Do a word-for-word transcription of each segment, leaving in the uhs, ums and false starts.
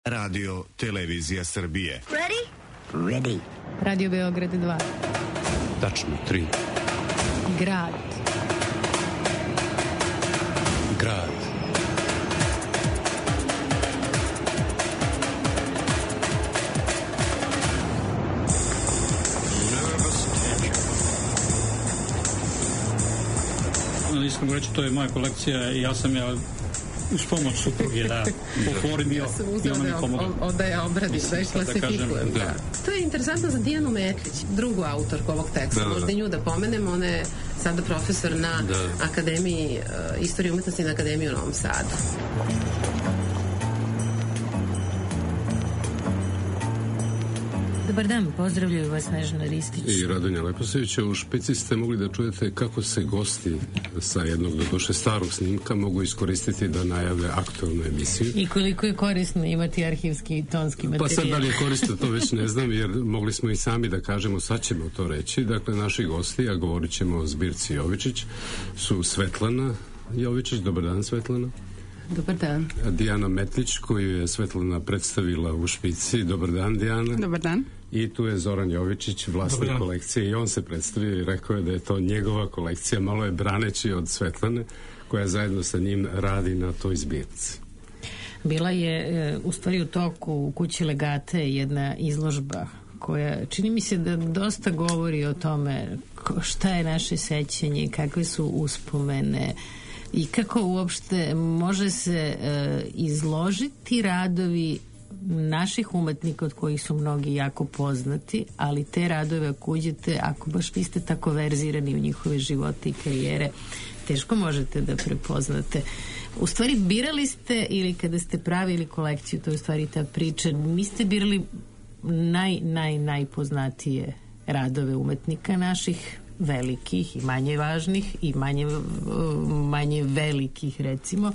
Radio Televizija Srbije. Ready? Ready. Radio Beograd dva. Tačno tri. Grad. Grad. Iskreno reći, to je moja kolekcija i ja sam ja uz pomoć supruge da oformio ja sam uzela da, da je obradim, da je klasifikujem. Da da. To je interesantno za Dijanu Metlić, drugu autorku ovog teksta. Da, da, da. Možda nju da pomenemo, ona je sada profesor na da. Akademiji uh, istorije umetnosti na Akademiji u Novom Sadu. Dobar dan, pozdravljaju vas Snežana Ristić i Radonja Leposevića. U Špici ste mogli da čujete kako se gosti sa jednog doduše starog snimka mogu iskoristiti da najave aktualnu emisiju. I koliko je korisno imati arhivski i tonski materijal. Pa sad da li je korisno, to već ne znam, jer mogli smo i sami da kažemo, sad ćemo to reći. Dakle, naši gosti, a govorit ćemo o zbirci Jovičić, su Svetlana Jovičić. Dobar dan, Svetlana. Dobar dan. Dijana Metlić, koju je Svetlana predstavila u Špici. Dobar dan, Dijana. Dobar dan. I tu je Zoran Jovičić, vlasnik kolekcije, i on se predstavio i rekao je da je to njegova kolekcija, malo je braneći od Svetlane, koja zajedno sa njim radi na toj zbirci. Bila je u stvari u toku u kući Legate jedna izložba koja čini mi se da dosta govori o tome šta je naše sećanje, kakve su uspomene i kako uopšte može se e, izložiti radovi naših umetnika od kojih su mnogi jako poznati, ali te radove ako uđete, ako baš niste tako verzirani u njihove živote i karijere, teško možete da prepoznate. U stvari birali ste, ili kada ste pravili kolekciju, to je u stvari ta priča, niste birali naj, naj, najpoznatije radove umetnika naših, velikih i manje važnih i manje, manje velikih recimo,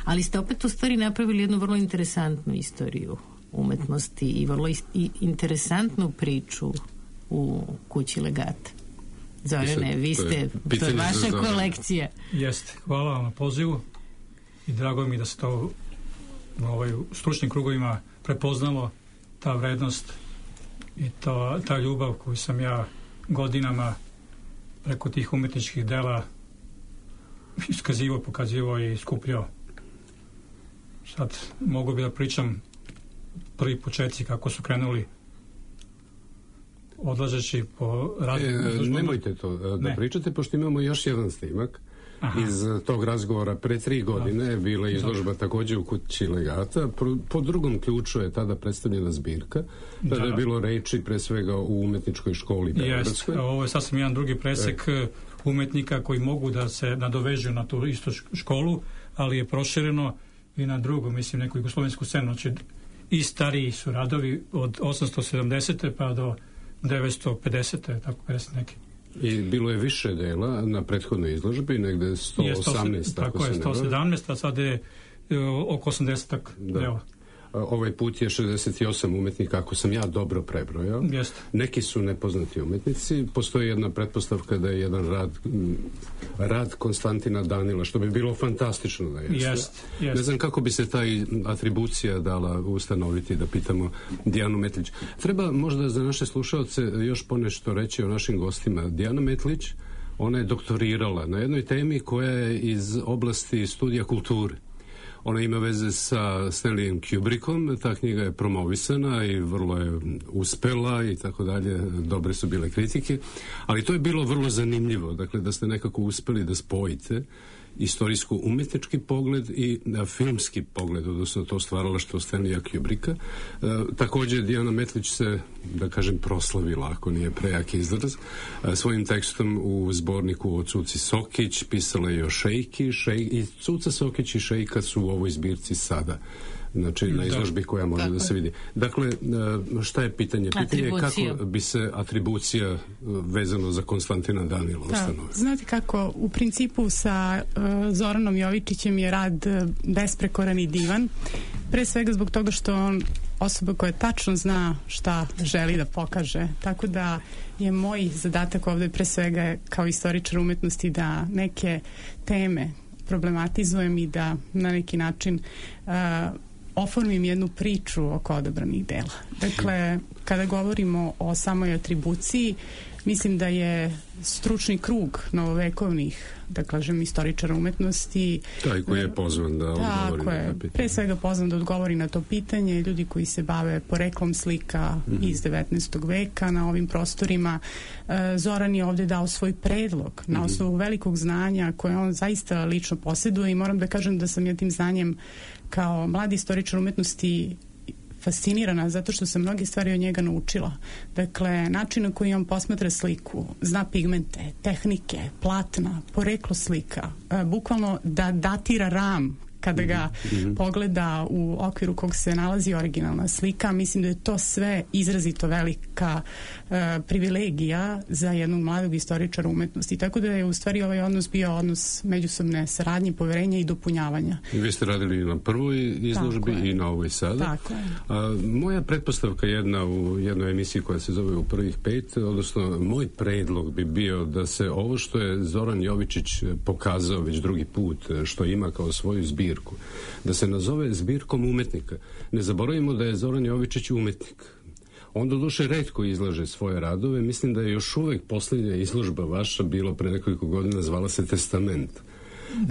ali ste opet u stvari napravili jednu vrlo interesantnu istoriju umetnosti i vrlo i interesantnu priču u kući Legate. Zorane, vi ste, to je vaša kolekcija. Jeste, hvala vam na pozivu i drago mi da se to u ovaj, stručnim krugovima prepoznalo, ta vrednost i to, ta ljubav koju sam ja godinama preko tih umetničkih dela iskazivao, pokazivao i skupljao. Sad mogu bi da pričam prvi početci kako su krenuli odlažeći po radu. E, nemojte to da ne. pričate, pošto imamo još jedan snimak. Aha. Iz tog razgovora pre tri godine je bila izložba takođe u kući Legata. Po drugom ključu je tada predstavljena zbirka. Tada da. je bilo reči pre svega u umetničkoj školi Beogradskoj. Ovo je sasvim jedan drugi presek e. umetnika koji mogu da se nadovežu na tu istu školu, ali je prošireno i na drugu, mislim, neku jugoslovensku scenu. Znači, i stariji su radovi od osamsto sedamdesete pa do devetsto pedesete, tako pedeset neki. I bilo je više dela na prethodnoj izložbi, negde sto osamnaest. Tako, tako je, sto sedamnaest, a sad je oko osamdeset dela. Ovaj put je šezdeset osam umetnika, ako sam ja dobro prebrojao. Jest. Neki su nepoznati umetnici. Postoji jedna pretpostavka da je jedan rad rad Konstantina Danila, što bi bilo fantastično da jeste. Jest, jest. Ne znam kako bi se taj atribucija dala ustanoviti, da pitamo Dijanu Metlić. Treba možda za naše slušalce još ponešto reći o našim gostima. Dijana Metlić, ona je doktorirala na jednoj temi koja je iz oblasti studija kulture. Ona ima veze sa Stanleyem Kubrickom, ta knjiga je promovisana i vrlo je uspela i tako dalje, dobre su bile kritike, ali to je bilo vrlo zanimljivo, dakle da ste nekako uspeli da spojite istorijsko-umetnički pogled i na filmski pogled, odnosno to stvaralaštvo Stanleya Kubricka. E, također Dijana Metlić se, da kažem, proslavila, ako nije prejak izraz, e, svojim tekstom u zborniku o Cuci Sokić, pisala je o Šejki, šej, i Cuca Sokić i Šejka su u ovoj zbirci sada. Znači, na izložbi koja može tako da se vidi. Dakle, šta je pitanje? Pitanje je kako bi se atribucija vezano za Konstantina Danila ustanovila. Znate kako, u principu sa uh, Zoranom Jovičićem je rad besprekoran i divan. Pre svega zbog toga što on osoba koja tačno zna šta želi da pokaže. Tako da je moj zadatak ovde pre svega kao istoričar umetnosti da neke teme problematizujem i da na neki način uh, oformim jednu priču oko odabranih dela. Dakle, kada govorimo o samoj atribuciji, mislim da je stručni krug novovekovnih, da kažem, istoričara umetnosti. Taj koji je pozvan da odgovori na to pitanje. Pre svega pozvan da odgovori na to pitanje. Ljudi koji se bave poreklom slika mm-hmm. iz devetnaestog veka na ovim prostorima. Zoran je ovde dao svoj predlog na osnovu mm-hmm. velikog znanja koje on zaista lično posjeduje i moram da kažem da sam ja tim znanjem kao mladi istoričar umetnosti fascinirana zato što sam mnoge stvari od njega naučila. Dakle, način na koji on posmatra sliku, zna pigmente, tehnike, platna, poreklo slika, bukvalno da datira ram kada ga mm-hmm. pogleda u okviru kog se nalazi originalna slika. Mislim da je to sve izrazito velika uh, privilegija za jednog mladog istoričara umetnosti. Tako da je u stvari ovaj odnos bio odnos međusobne saradnje, poverenja i dopunjavanja. I vi ste radili na prvoj izložbi i na ovoj sada. Tako je. A, moja pretpostavka jedna u jednoj emisiji koja se zove U prvih pet, odnosno moj predlog bi bio da se ovo što je Zoran Jovičić pokazao već drugi put, što ima kao svoju zbirku, da se nazove zbirkom umetnika. Ne zaboravimo da je Zoran Jovičić umetnik. On doduše retko izlaže svoje radove. Mislim da je još uvek posljednja izložba vaša bilo pre nekoliko godina, zvala se Testament.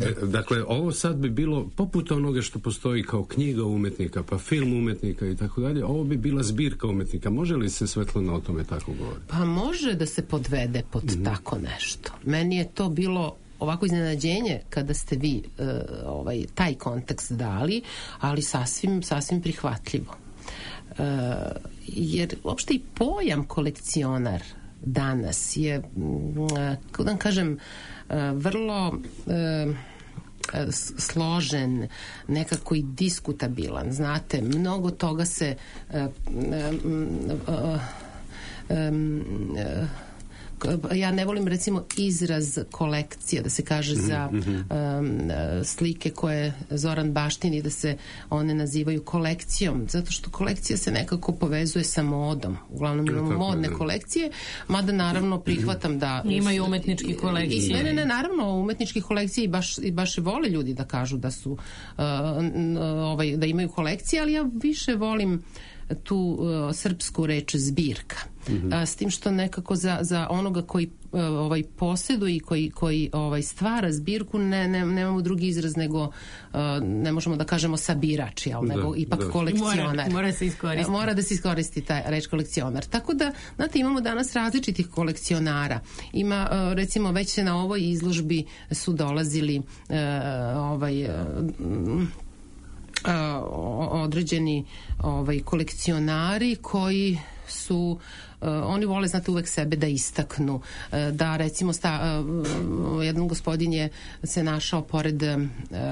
E, dakle, ovo sad bi bilo poput onoga što postoji kao knjiga umetnika, pa film umetnika i tako dalje. Ovo bi bila zbirka umetnika. Može li se Svetlana o tome tako govoriti? Pa može da se podvede pod mm-hmm. tako nešto. Meni je to bilo ovako iznenađenje kada ste vi uh, ovaj, taj kontekst dali, ali sasvim, sasvim prihvatljivo. Uh, jer uopšte i pojam kolekcionar danas je, uh, kako da kažem, uh, vrlo uh, složen, nekako i diskutabilan. Znate, mnogo toga se uh, um, uh, um, uh, ja ne volim recimo izraz kolekcija da se kaže mm-hmm. za um, slike koje Zoran baštini da se one nazivaju kolekcijom, zato što kolekcija se nekako povezuje sa modom. Uglavnom imamo ja, modne kolekcije, mada naravno prihvatam da imaju umetnički kolekcije. Ne, ne, ne, naravno umetnički kolekcije i baš, i baš i vole ljudi da kažu da su uh, ovaj, da imaju kolekcije, ali ja više volim tu uh, srpsku reč zbirka. Mm-hmm. A, s tim što nekako za, za onoga koji uh, ovaj posjeduje i koji, koji ovaj stvara zbirku ne, ne, nemamo drugi izraz nego uh, ne možemo da kažemo sabirač, jel, da, nego ipak da. kolekcionar. Mora, mora se iskoristiti. Mora da se iskoristi ta reč kolekcionar. Tako da, znate, imamo danas različitih kolekcionara. Ima, uh, recimo, već se na ovoj izložbi su dolazili uh, ovaj uh, Uh, određeni ovaj, kolekcionari koji su Uh, oni vole, znate, uvek sebe da istaknu, uh, da recimo sta, uh, jedan gospodin je se našao pored uh,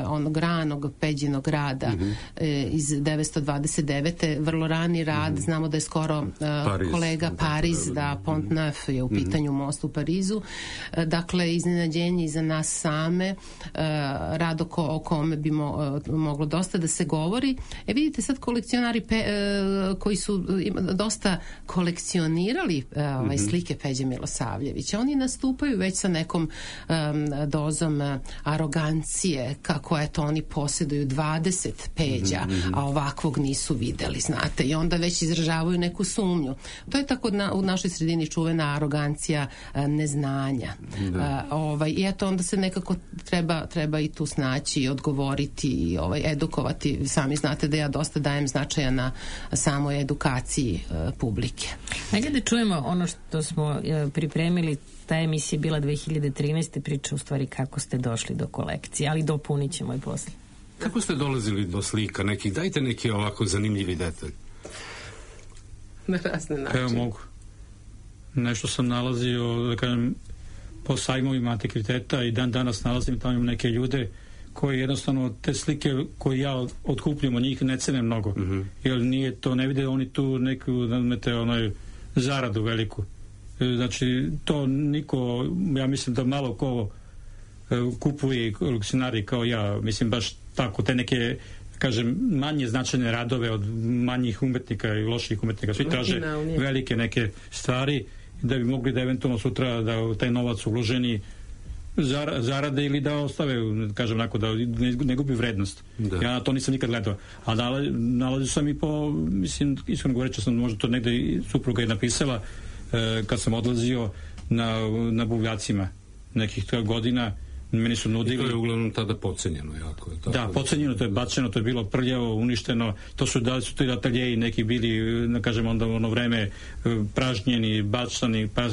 onog ranog Peđinog grada mm-hmm. uh, iz devetsto dvadeset devete vrlo rani rad, mm-hmm. znamo da je skoro uh, Pariz, kolega Pariz, da, da Pont Neuf je u mm-hmm. pitanju most u Parizu, uh, dakle iznenađenje i za nas same, uh, rad oko, o kome bi mo, uh, moglo dosta da se govori. E vidite sad kolekcionari pe, uh, koji su ima, dosta kolekcionirali ovaj, slike Peđe Milosavljevića. Oni nastupaju već sa nekom um, dozom uh, arogancije, kako eto oni posjeduju dvadeset Peđa, mm-hmm. a ovakvog nisu videli, znate, i onda već izražavaju neku sumnju. To je tako na, u našoj sredini čuvena arogancija uh, neznanja. Uh, ovaj, i eto onda se nekako treba, treba i tu snaći i odgovoriti i ovaj, edukovati. Sami znate da ja dosta dajem značaja na samoj edukaciji uh, publike. Ajde da čujemo ono što smo e, pripremili. Ta emisija je bila dve hiljade trinaeste. priča u stvari kako ste došli do kolekcije, ali dopunit ćemo i posle. Kako ste dolazili do slika nekih? Dajte neki ovako zanimljivi detalj. Na razne načine. Evo mogu. Nešto sam nalazio, da kažem, po sajmovima antikviteta i dan danas nalazim tamo neke ljude koji jednostavno te slike koje ja otkupljujem od njih ne cene mnogo. Mm-hmm. Jer nije to, ne vide oni tu neku, nadmete, onaj zaradu veliku. Znači, to niko, ja mislim da malo ko kupuje kolekcionari kao ja, mislim baš tako, te neke, kažem, manje značajne radove od manjih umetnika i loših umetnika. Svi traže velike neke stvari da bi mogli da eventualno sutra da taj novac uloženi zarade ili da ostave, kažem onako, da ne, ne gubi vrednost. Da. Ja to nisam nikad gledao. A nalazio sam i po, mislim, iskreno govoreći sam možda to negde i supruga je napisala e, kad sam odlazio na, na buvljacima nekih godina, meni su nudili. I to je uglavnom tada pocenjeno jako. Je tako da, pocenjeno, to je bačeno, to je bilo prljavo, uništeno, to su, da su to i ateljeji neki bili, da kažem, onda ono vreme pražnjeni, bačani, pa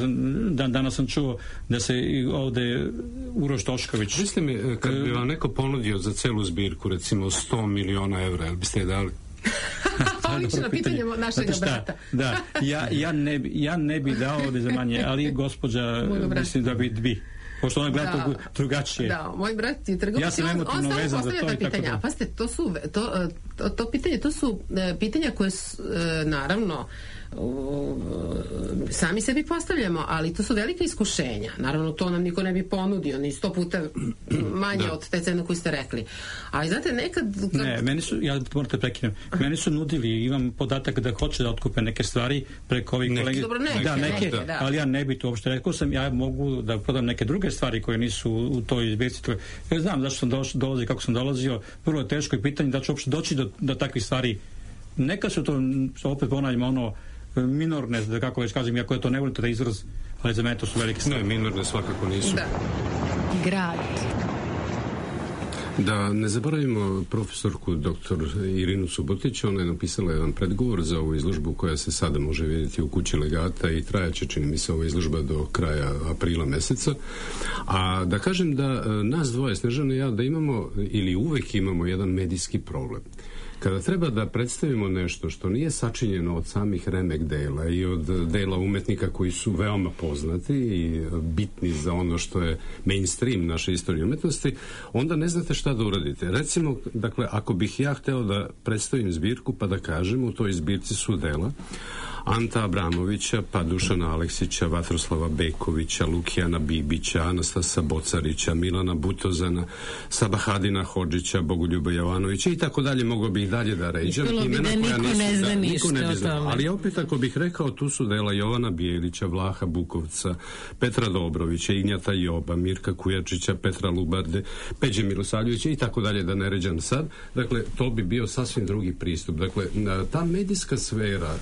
dan, danas sam čuo da se ovde Uroš Tošković. Mislite mi, kad bi vam neko ponudio za celu zbirku, recimo sto miliona evra, jel biste je dali? Lično pitanje našeg brata. Da, ja, ja, ne, ja ne bi dao ovde za manje, ali gospođa mislim da bi bi. Pošto ona gleda da, drugačije. Da, moj brat je trgovac. Ja sam emotivno on, on vezan za to i tako da. A pazite, to su, to, to, to pitanje, to su pitanja koje su, naravno, sami sebi postavljamo, ali to su velike iskušenja. Naravno, to nam niko ne bi ponudio, ni sto puta manje da. Od te cene koju ste rekli. Ali znate, nekad... Kad... Ne, meni su, ja morate prekinem, meni su nudili, imam podatak da hoće da otkupe neke stvari preko ovih kolegi. Dobro, neke, da, neke, neke da. Ali ja ne bi to uopšte rekao sam, ja mogu da prodam neke druge stvari koje nisu u toj izbirci. Ja znam zašto sam došao, dolazio, kako sam dolazio, vrlo je teško i pitanje da ću uopšte doći do, do takvih stvari. Neka su to, opet ponavljamo, ono, minorne, da kako već kažem, iako je to ne volite da izraz, ali za mene to su velike stvari. Ne, minorne svakako nisu. Da. Grad. Da ne zaboravimo profesorku doktor Irinu Subotić, ona je napisala jedan predgovor za ovu izložbu koja se sada može vidjeti u kući Legata i trajaće, čini mi se, ova izložba do kraja aprila meseca. A da kažem da nas dvoje, Snežana i ja, da imamo ili uvek imamo jedan medijski problem. Kada treba da predstavimo nešto što nije sačinjeno od samih remek dela i od dela umetnika koji su veoma poznati i bitni za ono što je mainstream naše istorije umetnosti, onda ne znate šta da uradite. Recimo, dakle, ako bih ja hteo da predstavim zbirku pa da kažem, u toj zbirci su dela Anta Abramovića, pa Dušana Aleksića, Vatroslava Bekovića, Lukijana Bibića, Anastasa Bocarića, Milana Butozana, Sabahadina Hodžića, Bogoljuba Jovanovića i tako dalje, mogo bih dalje da ređam. Ispalo bi da niko nisu, ne zna da, ništa ne o tome. Ali opet ako bih rekao, tu su dela Jovana Bijelića, Vlaha Bukovca, Petra Dobrovića, Ignjata Joba, Mirka Kujačića, Petra Lubarde, Peđe Milosavljevića i tako dalje, da ne ređam sad. Dakle, to bi bio sasvim drugi pristup. Dakle, ta medijska sfera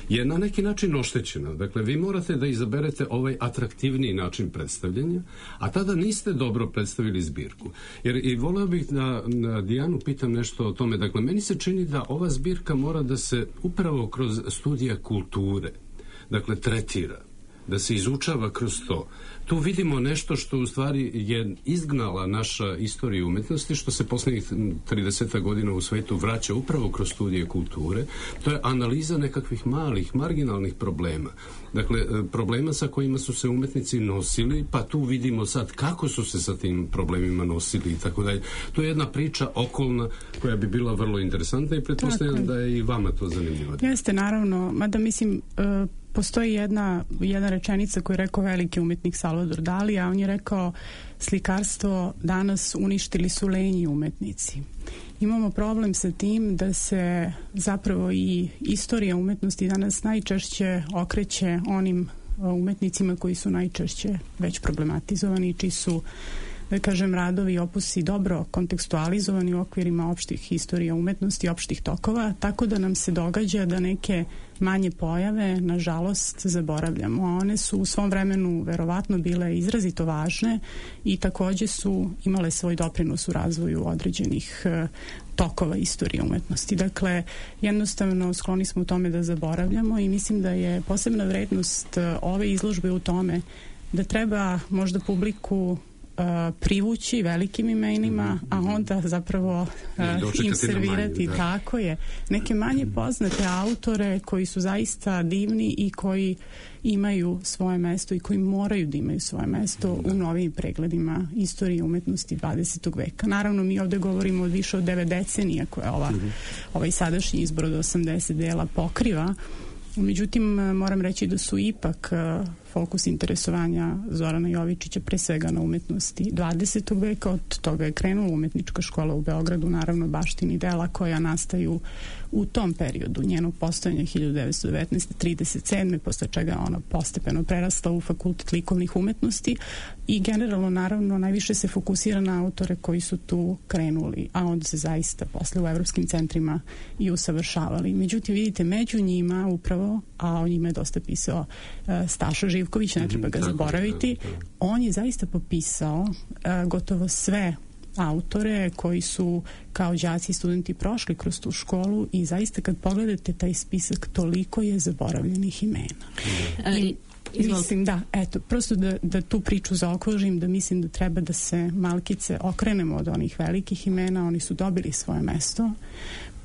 je na neki način oštećena. Dakle, vi morate da izaberete ovaj atraktivniji način predstavljanja, a tada niste dobro predstavili zbirku. Jer i voleo bih da na Dijanu pitam nešto o tome. Dakle, meni se čini da ova zbirka mora da se upravo kroz studija kulture, dakle, tretira, da se izučava kroz to. Tu vidimo nešto što u stvari je izgnala naša istorija umetnosti, što se poslednjih trideset godina u svetu vraća upravo kroz studije kulture. To je analiza nekakvih malih, marginalnih problema. Dakle, problema sa kojima su se umetnici nosili, pa tu vidimo sad kako su se sa tim problemima nosili i tako dalje. To je jedna priča okolna koja bi bila vrlo interesantna i pretpostavljam da je i vama to zanimljivo. Jeste, naravno, mada mislim... Uh, Postoji jedna, jedna rečenica koju je rekao veliki umetnik Salvador Dali, a on je rekao: slikarstvo danas uništili su lenji umetnici. Imamo problem sa tim da se zapravo i istorija umetnosti danas najčešće okreće onim umetnicima koji su najčešće već problematizovani, čiji su, da kažem, radovi i opusi dobro kontekstualizovani u okvirima opštih istorija umetnosti, opštih tokova, tako da nam se događa da neke manje pojave, nažalost, zaboravljamo. One su u svom vremenu verovatno bile izrazito važne i takođe su imale svoj doprinos u razvoju određenih uh, tokova istorije umetnosti. Dakle, jednostavno skloni smo u tome da zaboravljamo i mislim da je posebna vrednost uh, ove izložbe u tome da treba možda publiku Uh, privući velikim imenima, a onda zapravo uh, im servirati, da. Tako je, neke manje poznate autore koji su zaista divni i koji imaju svoje mesto i koji moraju da imaju svoje mesto da. U novim pregledima istorije umetnosti dvadesetog veka. Naravno, mi ovde govorimo od više od devet decenija koje ova, mm-hmm. ovaj sadašnji izbor od osamdeset dela pokriva. Međutim, moram reći da su ipak fokus interesovanja Zorana Jovičića pre svega na umetnosti dvadesetog veka. Od toga je krenula umetnička škola u Beogradu, naravno baštini dela koja nastaju u tom periodu njenog postojanja hiljadu devetsto devetnaeste do trideset sedme posle čega ona postepeno prerasla u fakultet likovnih umetnosti i generalno naravno najviše se fokusira na autore koji su tu krenuli, a onda se zaista posle u evropskim centrima i usavršavali. Međutim, vidite, među njima upravo, a o njima je dosta pisao uh, Staša Živković, ne treba ga zaboraviti, on je zaista popisao uh, gotovo sve autore koji su kao đaci i studenti prošli kroz tu školu i zaista kad pogledate taj spisak toliko je zaboravljenih imena. I, i mislim da, eto, prosto da, da tu priču zaokružim, da mislim da treba da se malkice okrenemo od onih velikih imena, oni su dobili svoje mesto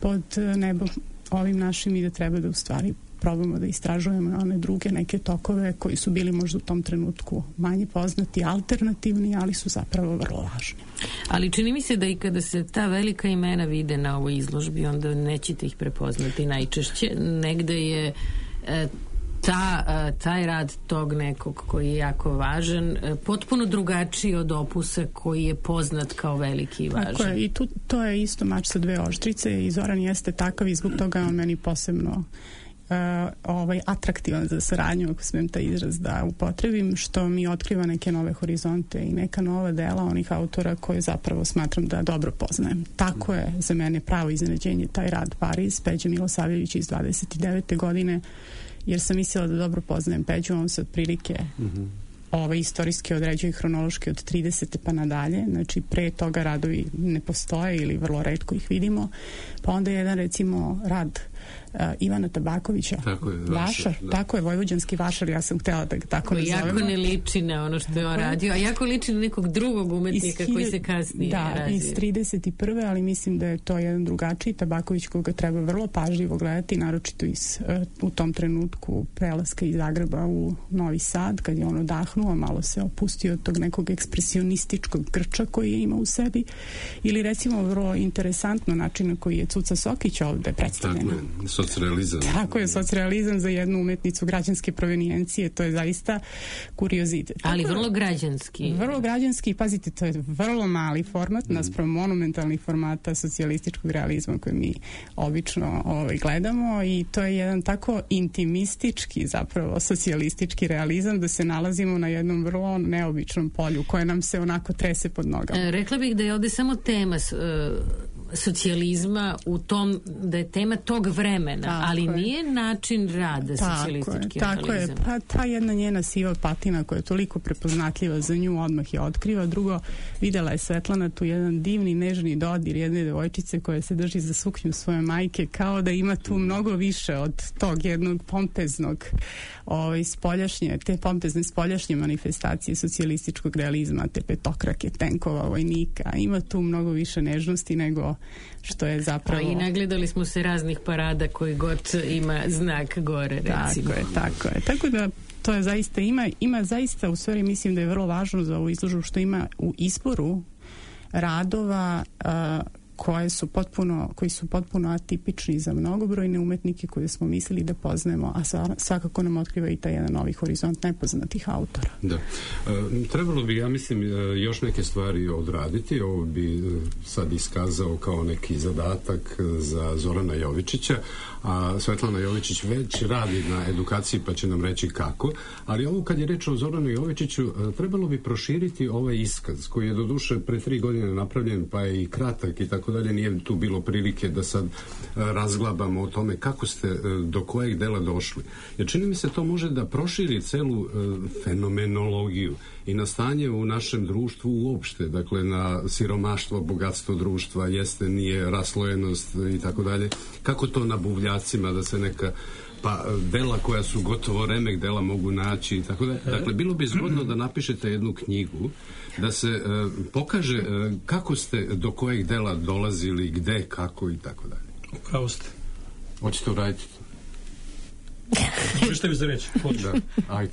pod nebom ovim našim i da treba da u stvari probamo da istražujemo one druge neke tokove koji su bili možda u tom trenutku manje poznati, alternativni, ali su zapravo vrlo važni. Ali čini mi se da i kada se ta velika imena vide na ovoj izložbi, onda nećete ih prepoznati najčešće. Negde je e, ta, taj rad tog nekog koji je jako važan potpuno drugačiji od opusa koji je poznat kao veliki i važan. Tako je, i tu, to je isto mač sa dve oštrice i Zoran jeste takav i zbog toga on meni posebno Uh, ovaj, atraktivan za saradnju, ako smijem taj izraz da upotrebim, što mi otkriva neke nove horizonte i neka nova dela onih autora koje zapravo smatram da dobro poznajem. Tako je za mene pravo iznenađenje taj rad Pariz, Peđa Milosavljević iz dvadeset devete godine, jer sam mislila da dobro poznajem Peđu, on se otprilike mm-hmm. ove istorijski određuje hronološki od tridesete pa nadalje, znači pre toga radovi ne postoje ili vrlo retko ih vidimo, pa onda jedan recimo rad Uh, Ivana Tabakovića, tako je, Vašar, da. tako je, vojvođanski Vašar, ja sam htjela da ga tako nazovemo. Jako ne liči na ono što je on radio, a jako liči na nekog drugog umetnika iz, koji se kasnije da, razvije. iz trideset prve ali mislim da je to jedan drugačiji Tabaković koga treba vrlo pažljivo gledati, naročito iz, uh, u tom trenutku prelaska iz Zagreba u Novi Sad, kad je on odahnuo, malo se opustio od tog nekog ekspresionističkog grča koji je imao u sebi, ili recimo vrlo interesantno način na koji je Cuca Sokić ovde predstavljena. Socrealizam. Tako je, socrealizam za jednu umetnicu građanske provenijencije, to je zaista kuriozitet. Ali vrlo građanski. Vrlo građanski, pazite, to je vrlo mali format mm. naspram monumentalnih formata socijalističkog realizma koje mi obično ovaj, gledamo i to je jedan tako intimistički zapravo socijalistički realizam da se nalazimo na jednom vrlo neobičnom polju koje nam se onako trese pod nogama. E, rekla bih da je ovde samo tema uh, socijalizma u tom, da je tema tog vremena, tako ali je. Nije način rada socijalistički je, tako realizam. Je, pa ta jedna njena siva patina koja je toliko prepoznatljiva za nju, odmah je otkriva. Drugo, videla je Svetlana tu jedan divni, nežni dodir jedne devojčice koja se drži za suknju svoje majke, kao da ima tu mnogo više od tog jednog pompeznog ovaj, spoljašnje, te pompezne spoljašnje manifestacije socijalističkog realizma, te petokrake tenkova, vojnika. Ima tu mnogo više nežnosti nego što je zapravo... A i nagledali smo se raznih parada koji god ima znak gore, recimo. Tako je, tako je. Tako da to je zaista, ima, ima zaista, u stvari mislim da je vrlo važno za ovu izložbu što ima u izboru radova uh, koje su potpuno, koji su potpuno atipični za mnogobrojne umetnike koje smo mislili da poznajemo, a svakako nam otkriva i taj jedan novi horizont nepoznatih autora. Da. E, trebalo bi, ja mislim, još neke stvari odraditi. Ovo bi sad iskazao kao neki zadatak za Zorana Jovičića, a Svetlana Jovičić već radi na edukaciji pa će nam reći kako, ali ovo kad je reč o Zoranu Jovičiću, trebalo bi proširiti ovaj iskaz koji je doduše pre tri godine napravljen pa je i kratak i tako dalje, nije tu bilo prilike da sad razglabamo o tome kako ste do kojeg dela došli. Jer čini mi se to može da proširi celu fenomenologiju i na stanje u našem društvu uopšte, dakle na siromaštvo, bogatstvo društva, jeste, nije, raslojenost i tako dalje. Kako to na buvljacima da se neka pa dela koja su gotovo remek dela mogu naći i tako da. Dakle, bilo bi zgodno da napišete jednu knjigu da se uh, pokaže uh, kako ste do kojeg dela dolazili, gde, kako i tako dalje. Upravo ste. Hoćete uraditi to? Što mi za reći? Da, ajde.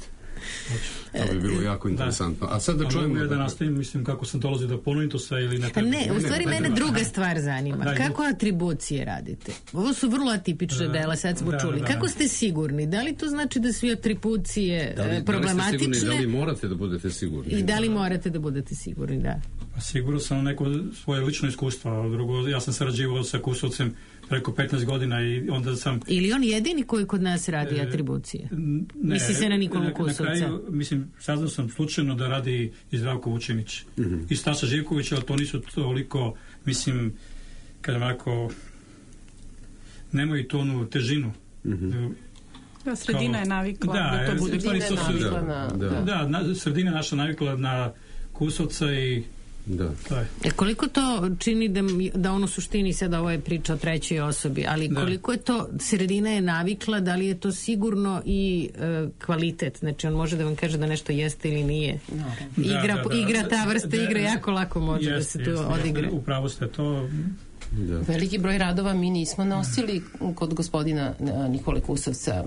To bi bilo jako interesantno. A sad da čujemo... A mogu ja da nastavim, mislim, kako sam dolazio do Polonitosa ili ne... Ne, u stvari mene druga stvar zanima. Da, kako atribucije radite? Ovo su vrlo atipične dela, sad smo da, čuli. Da, kako da. ste sigurni? Da li to znači da su atribucije da li, problematične? Da li ste sigurni, da li morate da budete sigurni? I da li morate da budete sigurni, da. Pa sigurno sam neko svoje lično iskustvo, a drugo, ja sam sarađivao sa Kusovcem preko petnaest godina i onda sam... Ili on jedini koji kod nas radi e, atribucije? Ne, misli se na Nikolu Kusovca? Na kraju, mislim, saznao sam slučajno da radi i Zdravko Vučinić. Mm-hmm. I Staša Živković, ali to nisu toliko, mislim, kažem ovako, nemaju tu onu težinu. Mm-hmm. Da, sredina kao, je navikla da, da to bude. Sredina je navikla na... Da, da. da na, sredina naša navikla na Kusovca i da. E, koliko to čini da, da ono suštini sada ovo je priča o trećoj osobi, ali da. Koliko je to sredina je navikla, da li je to sigurno i e, kvalitet, znači on može da vam kaže da nešto jeste ili nije. No. Igra, da, da, da. igra ta vrsta da, igre jako lako može jest, da se tu jest, odigra. Upravo ste to... Da. Veliki broj radova mi nismo nosili kod gospodina Nikole Kusovca.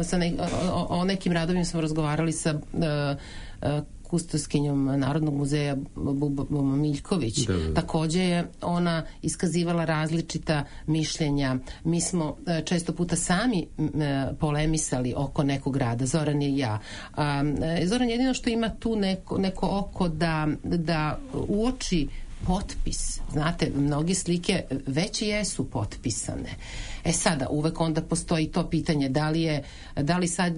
Sa ne, o, o nekim radovima smo razgovarali sa uh, kustoskinjom Narodnog muzeja Bubom Miljković. Da, da. Takođe je ona iskazivala različita mišljenja. Mi smo često puta sami polemisali oko nekog rada, Zoran i ja. Zoran jedino što ima tu neko, neko oko da, da uoči potpis. Znate, mnogi slike već jesu potpisane. E sada, uvek onda postoji to pitanje da li je, da li sad,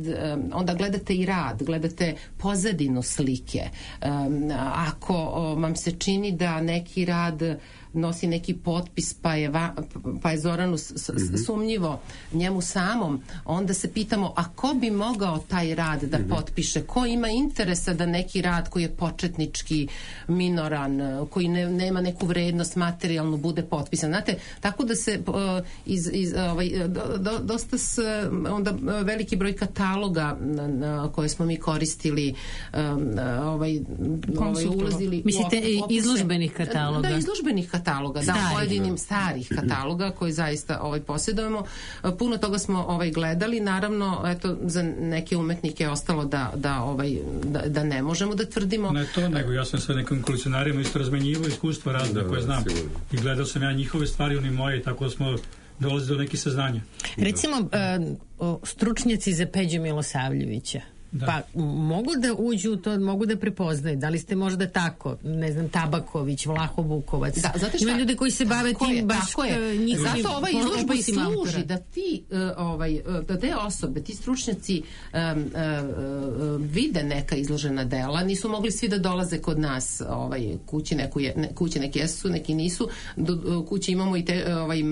onda gledate i rad, gledate pozadinu slike. Ako vam se čini da neki rad nosi neki potpis pa je, va, pa je Zoranu s, mm-hmm. sumnjivo njemu samom, onda se pitamo a ko bi mogao taj rad da mm-hmm. potpiše, ko ima interesa da neki rad koji je početnički minoran, koji ne, nema neku vrednost materijalnu bude potpisan. Znate, tako da se uh, iz, iz, ovaj, do, do, dosta s, onda veliki broj kataloga na, na koje smo mi koristili um, ovaj, ovaj ulazili mislite u izložbenih kataloga? Da, izložbenih kataloga kataloga, da, pojedinim starih kataloga koji zaista ovaj posjedujemo. Puno toga smo ovaj gledali, naravno, eto, za neke umetnike je ostalo da, da, ovaj, da, da ne možemo da tvrdimo. Ne to, nego ja sam sa nekim kolekcionarima isto razmenjivao iskustva razne da, koje znam. Sigurno. I gledao sam ja njihove stvari, oni moje, tako da smo dolazili do nekih saznanja. Recimo, uh, stručnjaci za Peđu Milosavljevića. Da. Pa mogu da uđu u to, mogu da prepoznaju. Da li ste možda tako, ne znam, Tabaković, Vlaho Vukovac. Da, zato šta, ima ljude koji se bave tim je, baš njihovim. Zato ova izložba i služi da ti uh, ovaj, da te osobe, ti stručnjaci um, uh, uh, vide neka izložena dela. Nisu mogli svi da dolaze kod nas ovaj, kući, neku je, ne, kući neki jesu, neki nisu. Do, kući imamo i te, ovaj,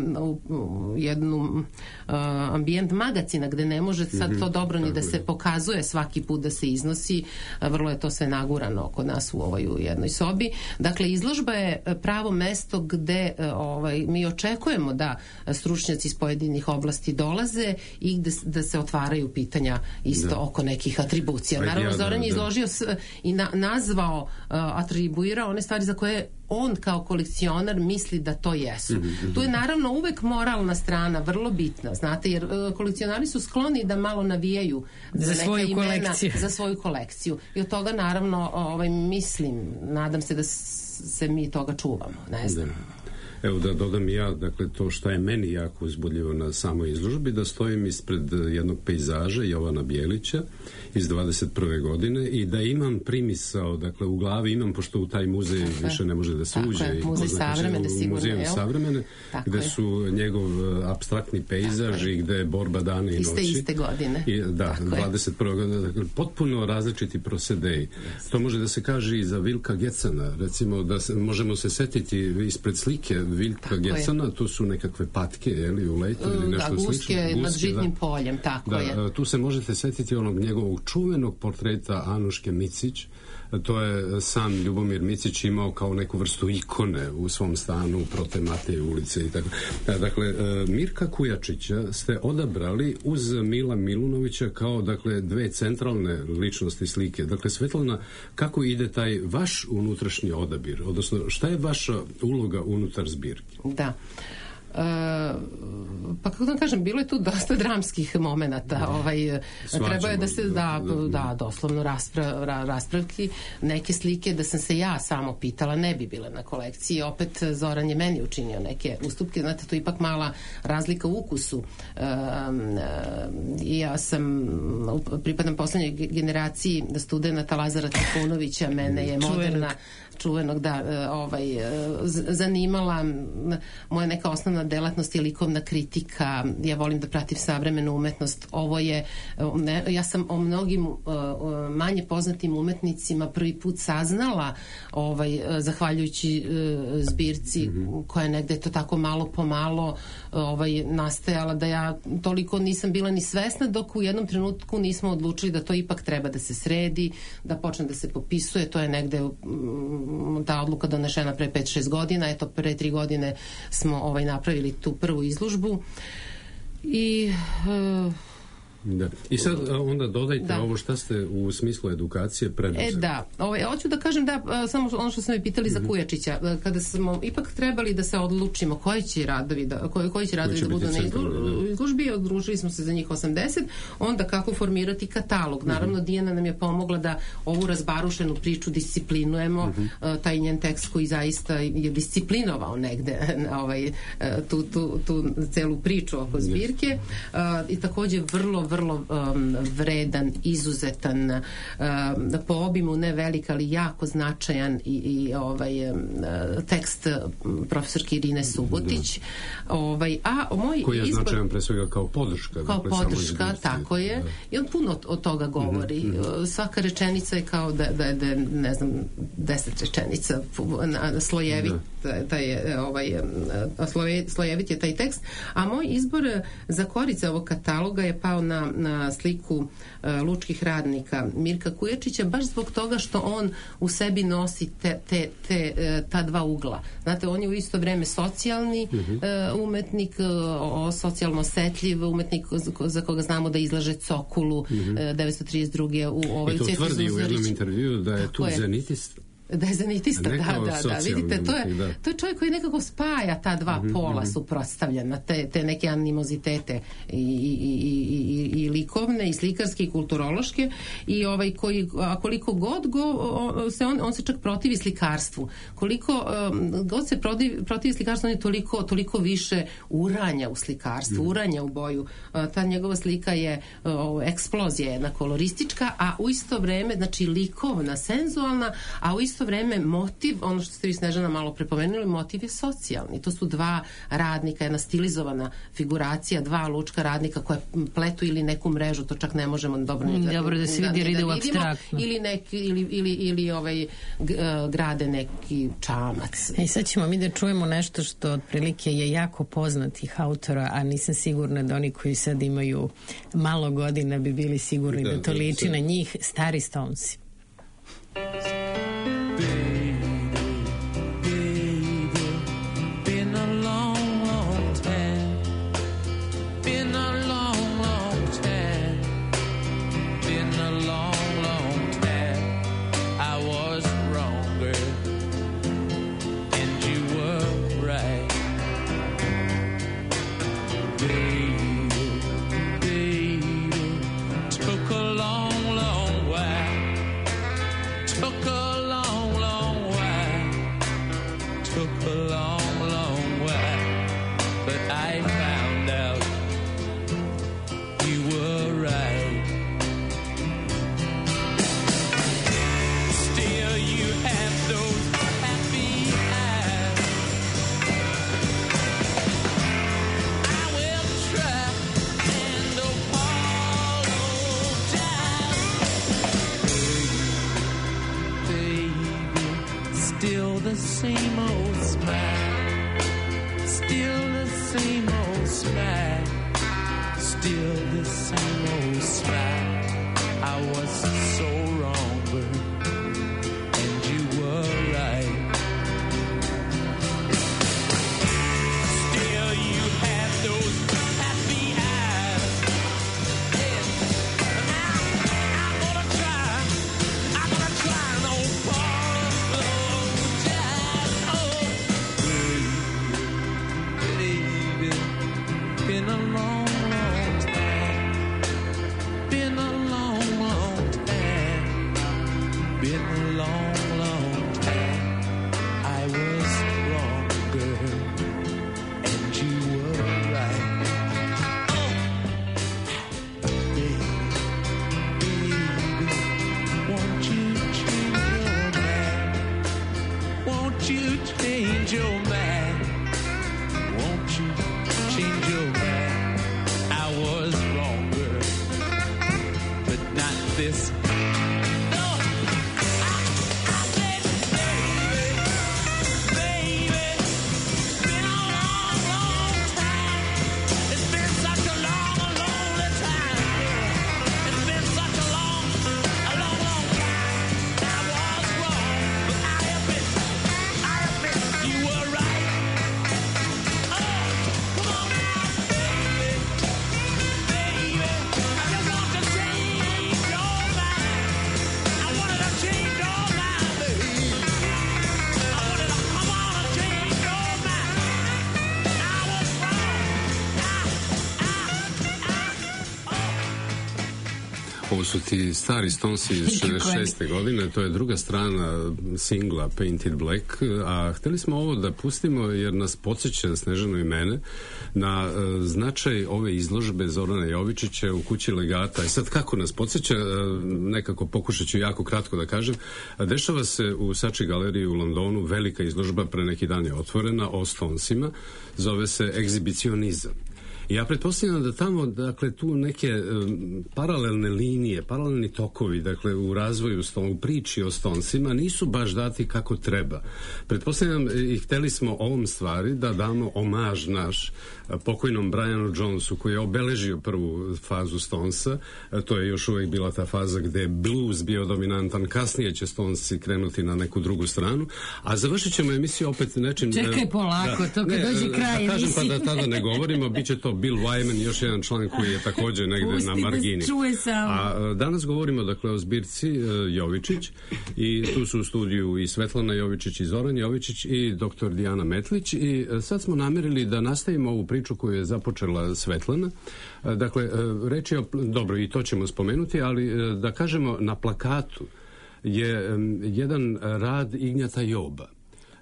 jednu uh, ambijent magacina gde ne može sad mm-hmm. to dobro ni da se pokazuje svaki put da se iznosi, vrlo je to sve nagurano kod nas u ovoj u jednoj sobi. Dakle, izložba je pravo mesto gde ovaj, mi očekujemo da stručnjaci iz pojedinih oblasti dolaze i gde, da se otvaraju pitanja isto da. oko nekih atribucija. Ajde, naravno, ja, Zoran je izložio s, i na, nazvao, uh, atribuirao one stvari za koje on kao kolekcionar misli da to jesu. Mm-hmm. Tu je naravno uvek moralna strana vrlo bitna, znate, jer uh, kolekcionari su skloni da malo navijaju za, za svoju imena, kolekciju. Za svoju kolekciju. I od toga naravno ovaj, mislim, nadam se da se mi toga čuvamo. Ne znam. Da. Evo da dodam ja, dakle, to što je meni jako uzbudljivo na samoj izložbi, da stojim ispred jednog pejzaža Jovana Bjelića iz dvadeset prve godine i da imam primisao, dakle, u glavi imam, pošto u taj muzej tako više ne može da se uđe. Je, muzej savremene, sigurno. Muzej savremene, gde su njegov apstraktni pejzaž i gde je borba dana i noći. Iste, iste godine. I, da, tako dvadeset prve godine, dakle, potpuno različiti prosedeji. Yes. To može da se kaže i za Vilka Gecana, recimo, da se, možemo se setiti ispred slike Vilka Gecana, tu su nekakve patke, jeli, u letu ili nešto da, guske, slično. Guske nad žitnim da, poljem, tako da, je. Tu se možete setiti onog njegovog čuvenog portreta Anuške Micić. To je sam Ljubomir Micić imao kao neku vrstu ikone u svom stanu prote Mateje ulice i tako. Dakle, Mirka Kujačića ste odabrali uz Mila Milunovića kao, dakle, dve centralne ličnosti slike. Dakle, Svetlana, kako ide taj vaš unutrašnji odabir? Odnosno, šta je vaša uloga unutar zbirke? Da. pa kako da kažem, bilo je tu dosta dramskih momenata. Ovaj, treba je da se, da, da doslovno raspra, ra, raspravki. Neke slike da sam se ja samo pitala ne bi bile na kolekciji. Opet Zoran je meni učinio neke ustupke. Znate, to je ipak mala razlika u ukusu. I ja sam, pripadam poslednjoj generaciji studenta Lazara Trifunovića, mene je moderna čuvenog, da, ovaj, zanimala. Moja neka osnovna delatnost je likovna kritika. Ja volim da pratim savremenu umetnost. Ovo je, ne, ja sam o mnogim manje poznatim umetnicima prvi put saznala, ovaj, zahvaljujući zbirci koja je negde to tako malo po malo ovaj, nastajala, da ja toliko nisam bila ni svesna, dok u jednom trenutku nismo odlučili da to ipak treba da se sredi, da počne da se popisuje. To je negde ta odluka donešena pre pet šest godina. Eto, pre tri godine smo ovaj, napravili tu prvu izložbu i uh, da. I sad onda dodajte da. Ovo šta ste u smislu edukacije preduzeli. E da, ovaj, hoću da kažem da samo ono što smo me pitali mm-hmm. za Kujačića, kada smo ipak trebali da se odlučimo koji će radovi da, koji, koji će radovi koji će da budu na izlu, izložbi, odlučili smo se za njih osamdeset, onda kako formirati katalog. Naravno, mm-hmm. Dijana nam je pomogla da ovu razbarušenu priču disciplinujemo, mm-hmm. taj njen tekst koji zaista je disciplinovao negde ovaj, tu, tu, tu celu priču oko zbirke yes. I takođe vrlo vrlo um, vredan, izuzetan, um, po obimu ne velik, ali jako značajan i, i ovaj um, tekst profesorke Irine Subotić. Ovaj, a moj koji je izbor, značajan pre svega kao podrška. Kao dakle, podrška, tako je. Da. I on puno od, od toga govori. Mm-hmm. Svaka rečenica je kao da, da, da ne znam, deset rečenica slojevit, da. taj je, ovaj, sloje, slojevit je taj tekst. A moj izbor za korice ovog kataloga je pao na na sliku uh, lučkih radnika Mirka Kujačića, baš zbog toga što on u sebi nosi te, te, te, uh, ta dva ugla. Znate, on je u isto vreme socijalni uh-huh. uh, umetnik, uh, socijalno osetljiv umetnik za, za koga znamo da izlaže Cokulu uh-huh. uh, devetsto trideset druge u ovoj i to tvrdi u jednom intervju da je tu zenitist. Da je zanitista, da, da, da, vidite, to je, da. to je čovjek koji nekako spaja ta dva mm-hmm. pola suprotstavljena, te, te neke animozitete i, i, i, i, i likovne, i slikarske, i kulturološke, i ovaj koji, a koliko god go, on se, on, on se čak protivi slikarstvu. Koliko um, god se protivi, protivi slikarstvu, on je toliko, toliko više uranja u slikarstvu, mm. uranja u boju. Uh, ta njegova slika je uh, eksplozija, jedna koloristička, a u isto vreme, znači likovna, senzualna, a u isto vreme motiv, ono što ste vi Snežana malo prepomenuli, motiv je socijalni. To su dva radnika, jedna stilizovana figuracija, dva lučka radnika koje pletu ili neku mrežu, to čak ne možemo dobro mm, da, dobro da se vidi, da, da, ide u apstraktno. Ili, neki, ili, ili, ili ovaj, g, grade neki čamac. E, sad ćemo mi da čujemo nešto što otprilike je jako poznatih autora, a nisam sigurna da oni koji sad imaju malo godina bi bili sigurni da, da to liči na njih. Stari Stonesi. Baby, Ovo su ti stari Stonesi iz šezdeset šeste godine, to je druga strana singla Painted Black, a hteli smo ovo da pustimo jer nas podsjeća, Snežanu i mene, na uh, značaj ove izložbe Zorana Jovičića u kući Legata. I sad kako nas podsjeća, uh, nekako pokušat ću jako kratko da kažem, dešava se u Saatchi galeriji u Londonu velika izložba, pre neki dan je otvorena, o Stonesima, zove se Egzibicionizam. I ja pretpostavljam da tamo, dakle, tu neke um, paralelne linije, paralelni tokovi, dakle, u razvoju, u priči o Stonesima nisu baš dati kako treba. Pretpostavljam i hteli smo ovom stvari da damo omaž naš pokojnom Brianu Jonesu, koji je obeležio prvu fazu Stonesa. To je još uvijek bila ta faza gde je blues bio dominantan, kasnije će Stonesi krenuti na neku drugu stranu, a završit ćemo emisiju opet nečim... Čekaj polako, da, to kad ne, dođe kraj da kažem emisije. Pa da tada ne govorimo, bit će to Bill Wyman, još jedan član koji je također negde Pusti na margini. Da čuje samo. A danas govorimo, dakle, o zbirci uh, Jovičić, i tu su u studiju i Svetlana Jovičić i Zoran Jovičić i doktor Dijana Metlić, i uh, sad smo namerili da nastavimo ovu priču koju je započela Svetlana. Uh, dakle, uh, reč je o, dobro, i to ćemo spomenuti, ali uh, da kažemo, na plakatu je um, jedan rad Ignjata Joba.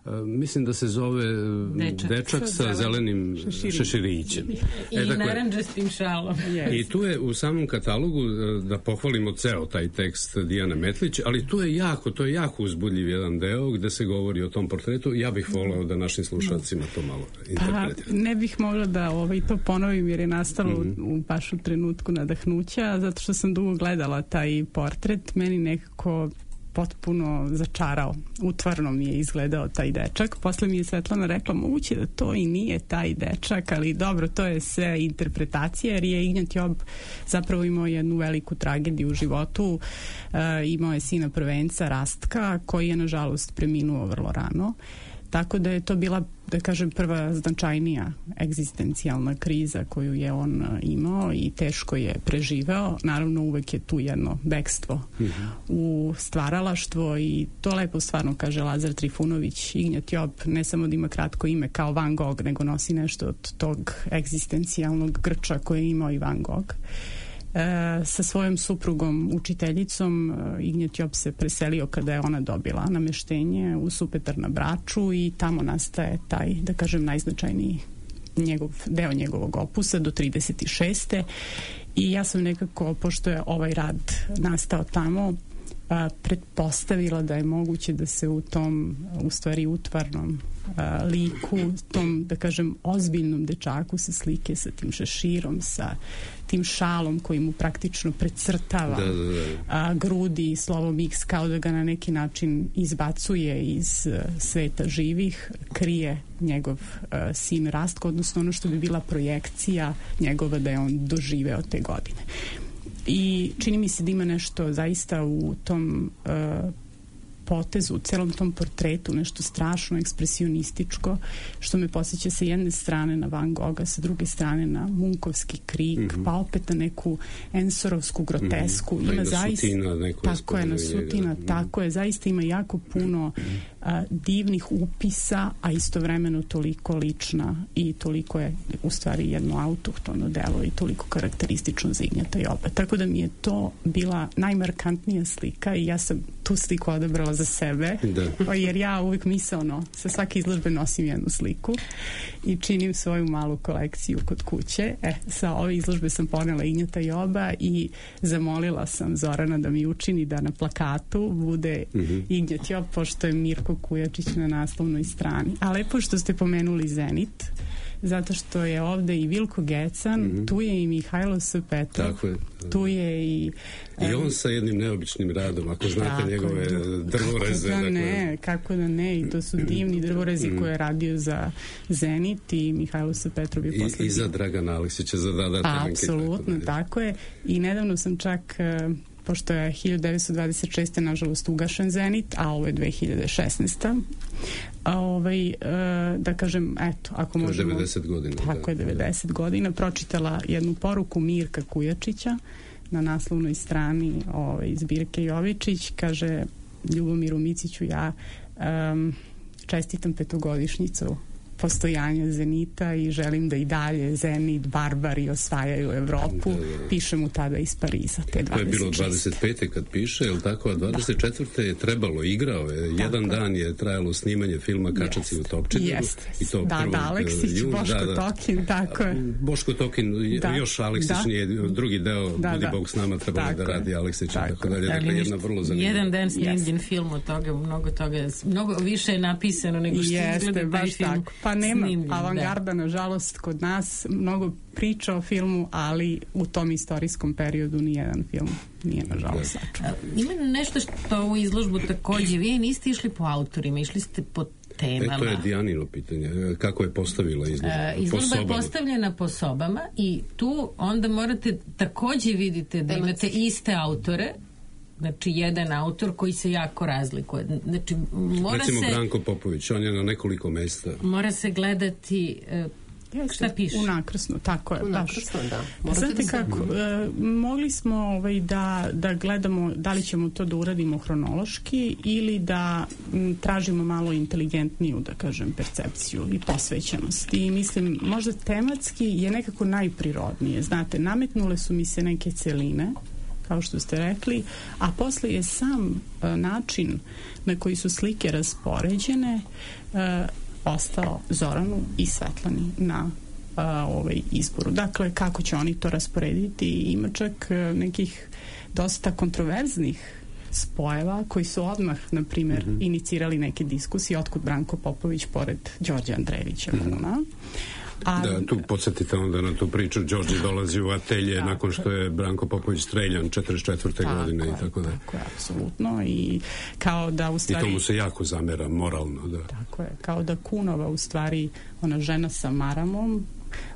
Uh, mislim da se zove uh, dečak, dečak sa, sa zelenim šeširićem. I e, dakle, naranđastim šalom. Yes. I tu je u samom katalogu, uh, da pohvalimo ceo taj tekst Dijane Metlić, ali tu je jako, to je jako uzbudljiv jedan deo gde se govori o tom portretu. Ja bih voleo da našim slušalcima to malo interpretiramo. Pa, ne bih mogla da ovaj, to ponovim jer je nastalo mm-hmm. u, u baš u trenutku nadahnuća, zato što sam dugo gledala taj portret. Meni nekako potpuno začarao. Utvarno mi je izgledao taj dečak. Posle mi je Svetlana rekla, moguće da to i nije taj dečak, ali dobro, to je sve interpretacija, jer je Ignjat Job zapravo imao jednu veliku tragediju u životu. E, imao je sina prvenca, Rastka, koji je nažalost preminuo vrlo rano. Tako da je to bila, da kažem, prva značajnija egzistencijalna kriza koju je on imao i teško je preživeo. Naravno, uvek je tu jedno bekstvo mm-hmm. u stvaralaštvo i to lepo stvarno kaže Lazar Trifunović. Ignjat Job ne samo da ima kratko ime kao Van Gogh, nego nosi nešto od tog egzistencijalnog grča koje je imao i Van Gogh. E, sa svojom suprugom učiteljicom e, Ignjat Job se preselio kada je ona dobila nameštenje u Supetar na Braču i tamo nastaje taj, da kažem, najznačajniji njegov, deo njegovog opusa do trideset šeste i ja sam nekako, pošto je ovaj rad nastao tamo, a, pretpostavila da je moguće da se u tom, u stvari utvarnom a, liku, tom, da kažem, ozbiljnom dečaku sa slike, sa tim šeširom, sa tim šalom koji mu praktično precrtava da, da, da. A, grudi i slovom X, kao da ga na neki način izbacuje iz a, sveta živih, krije njegov a, sin Rastko, odnosno ono što bi bila projekcija njegova da je on doživeo te godine. I čini mi se da ima nešto zaista u tom uh, potezu, u celom tom portretu, nešto strašno ekspresionističko, što me posjeća sa jedne strane na Van Gogha, sa druge strane na Munkovski krik, mm-hmm. pa opet na neku Ensorovsku grotesku. Mm-hmm. Ima zaista, tako je, na Sutina, mm-hmm. tako je, zaista ima jako puno uh, divnih upisa, a istovremeno toliko lična i toliko je u stvari jedno autohtono delo i toliko karakteristično za Ignjata Joba. Tako da mi je to bila najmarkantnija slika i ja sam tu sliku odabrala za sebe, da. Jer ja uvijek misaono sa svake izložbe nosim jednu sliku i činim svoju malu kolekciju kod kuće. E, sa ove izložbe sam ponela Ignjata Joba i zamolila sam Zorana da mi učini da na plakatu bude mm-hmm. Ignjat Job, pošto je Mirko Kujačić na naslovnoj strani. A lepo što ste pomenuli Zenit, zato što je ovde i Vilko Gecan, mm-hmm. tu je i Mihajlo S. Petrov, tako je. Tu je i... I on sa jednim neobičnim radom, ako znate njegove drvoreze. Kako da dakle... ne, kako da ne, i to su divni drvorezi mm. koje je radio za Zenit i Mihajlo S. Petrov je posle... I, i za Dragana Aleksića, za Dada Temenke. Apsolutno, tako, tako je. I nedavno sam čak... pošto je hiljadu devetsto dvadeset šeste nažalost ugašen Zenit, a ovo je dve hiljade šesnaeste. A ovaj, e, da kažem, eto, ako možemo... devedeset godina. Tako je, devedeset da. godina. Pročitala jednu poruku Mirka Kujačića na naslovnoj strani ovaj, zbirke Jovičić. Kaže, Ljubomiru Miciću, ja um, čestitam petogodišnjicu postojanja Zenita i želim da i dalje Zenit, barbari osvajaju Evropu. Da, da. Pišem mu tada iz Pariza, te dvadeset šeste. To je bilo dvadeset pete kad piše, je li tako? A dvadeset četvrte je trebalo, igrao je. Tako. Jedan dan je trajalo snimanje filma Kačaci u Topčideru. Jeste. I to da, da, Aleksić, Boško da, da. Tokin, tako je. Boško Tokin, da. još Aleksić da. nije drugi deo, da, budi da. Bog s nama, trebalo tako da radi Aleksić i tako, tako dalje. Dakle, jedna vrlo zanimljiva. Jedan dan snimljen yes. film od toga, mnogo toga, mnogo više je napisano nego što Jeste, izgleda taj film. Tako. Pa nema snimljen, avangarda, da. nažalost, kod nas mnogo priča o filmu, ali u tom istorijskom periodu nijedan film nije, nažalost, sačuvan. Ima nešto što u izložbu takođe, vi niste išli po autorima, išli ste po temama. E, to je Dijanino pitanje. Kako je postavila izložba? E, izložba je postavljena po sobama i tu onda morate takođe vidite da imate iste autore, znači jedan autor koji se jako razlikuje. Znači, mora Recimo se, Branko Popović, on je na nekoliko mesta. Mora se gledati e, Jeste, šta piše? U nakrasno, tako je. U nakrasno, da. Morate Znate da kako, e, mogli smo ovaj, da, da gledamo da li ćemo to da uradimo hronološki ili da m, tražimo malo inteligentniju, da kažem, percepciju i posvećenost. I mislim, možda tematski je nekako najprirodnije. Znate, nametnule su mi se neke celine, kao što ste rekli, a posle je sam e, način na koji su slike raspoređene e, ostao Zoranu i Svetlani na a, ovaj izboru. Dakle, kako će oni to rasporediti? Ima čak a, nekih dosta kontroverznih spojeva koji su odmah, na primjer, mm-hmm. inicirali neke diskusije otkud Branko Popović pored Đorđe Andrejevića. Mm-hmm. A, da, tu podsjetite onda na tu priču, Đorđe dolazi u atelje tako, nakon što je Branko Popović streljan četrdeset četvrte godine i tako da. Tako je, apsolutno. I kao da u stvari... I to mu se jako zamera moralno, da. Tako je, kao da Kunova u stvari, ona žena sa maramom,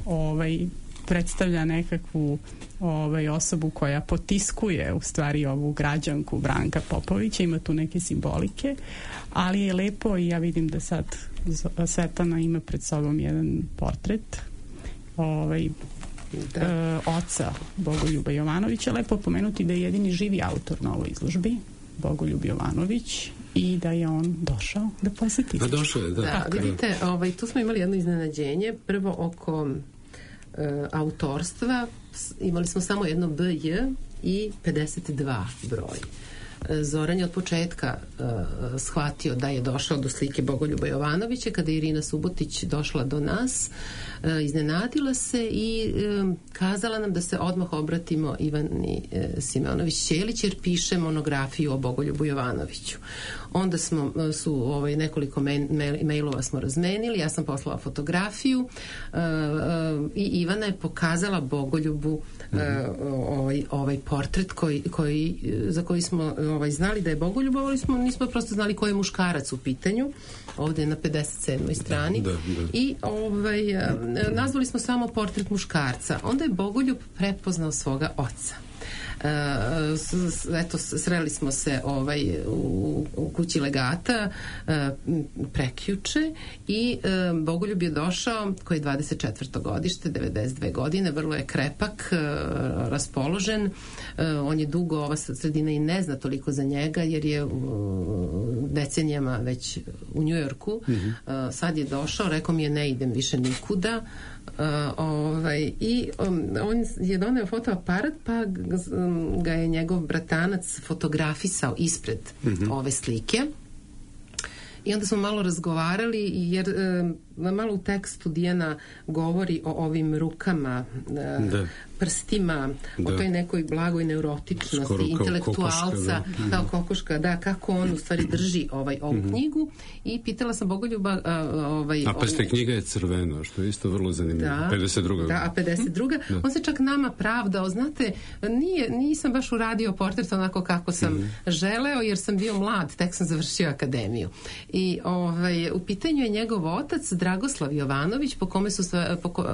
ovaj, predstavlja nekakvu ovaj, osobu koja potiskuje u stvari ovu građanku Branka Popovića, ima tu neke simbolike, ali je lepo i ja vidim da sad Svetlana ima pred sobom jedan portret ovaj, da. e, oca Bogoljuba Jovanovića. Lepo pomenuti da je jedini živi autor na ovoj izložbi, Bogoljub Jovanović, i da je on došao da poseti. Da, došao je, da. Da, vidite, ovaj, tu smo imali jedno iznenađenje, prvo oko e, autorstva, imali smo samo jedno B J i pedeset dva broj. Zoran je od početka uh, shvatio da je došao do slike Bogoljuba Jovanovića. Kada je Irina Subotić došla do nas, uh, iznenadila se i um, kazala nam da se odmah obratimo Ivani uh, Simeonović-Ćelić jer piše monografiju o Bogoljubu Jovanoviću. Onda smo uh, su ovaj, nekoliko mail, mailova smo razmenili, ja sam poslala fotografiju uh, uh, i Ivana je pokazala Bogoljubu uh, ovaj, ovaj portret koji, koji, za koji smo ovaj, znali da je Bogoljub, ali smo, nismo prosto znali ko je muškarac u pitanju. Ovde je na pedeset sedmoj strani. Da, da, da. I ovaj, nazvali smo samo portret muškarca. Onda je Bogoljub prepoznao svoga oca. Uh, s, s, eto, sreli smo se ovaj, u, u kući legata uh, prekjuče i uh, Bogoljub je došao, koji je dvadeset četvrto godište, devedeset dve godine, vrlo je krepak, uh, raspoložen, uh, on je dugo, ova sredina i ne zna toliko za njega jer je uh, decenijama već u Njujorku. Mm-hmm. Uh, sad je došao, rekao mi je ne idem više nikuda. Uh, ovaj, i um, on je doneo fotoaparat pa um, ga je njegov bratanac fotografisao ispred mm-hmm. ove slike i onda smo malo razgovarali jer um, malo u tekstu Dijana govori o ovim rukama, uh, prstima, da. O toj nekoj blagoj neurotičnosti skoro intelektualca, kokoška, da. Kao kokoška, da, kako on u stvari drži ovaj, ovu mm-hmm. knjigu i pitala sam Bogoljuba uh, ovaj, a pa ste knjiga je crvena, što je isto vrlo zanimljivo. Da, pedeset druga Da, a pedeset druga Da. On se čak nama pravdao, znate, nije, nisam baš uradio portret onako kako sam mm-hmm. želeo, jer sam bio mlad, tek sam završio akademiju. I ovaj, u pitanju je njegov otac Dragoslav Jovanović, po kome, su, po,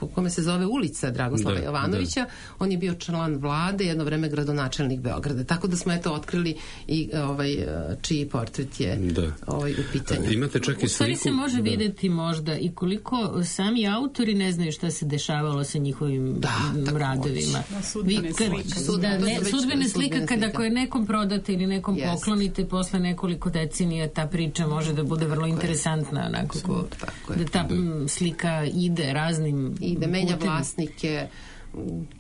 po kome se zove ulica Dragoslava da, Jovanovića. Da. On je bio član vlade, jedno vreme gradonačelnik Beograda. Tako da smo eto otkrili i ovaj, čiji portret je da. Ovaj, u pitanju. Imate čak i sliku. U stvari se može da. vidjeti možda i koliko sami autori ne znaju šta se dešavalo sa njihovim da, radovima. Da, sudbene slike. Da, ne, sudbene slika kada ako je nekom prodate ili nekom yes. poklonite posle nekoliko decenija, ta priča može da bude vrlo interesantna. Onako, nekako, tako da ta da. slika ide raznim ide, menja vlasnike,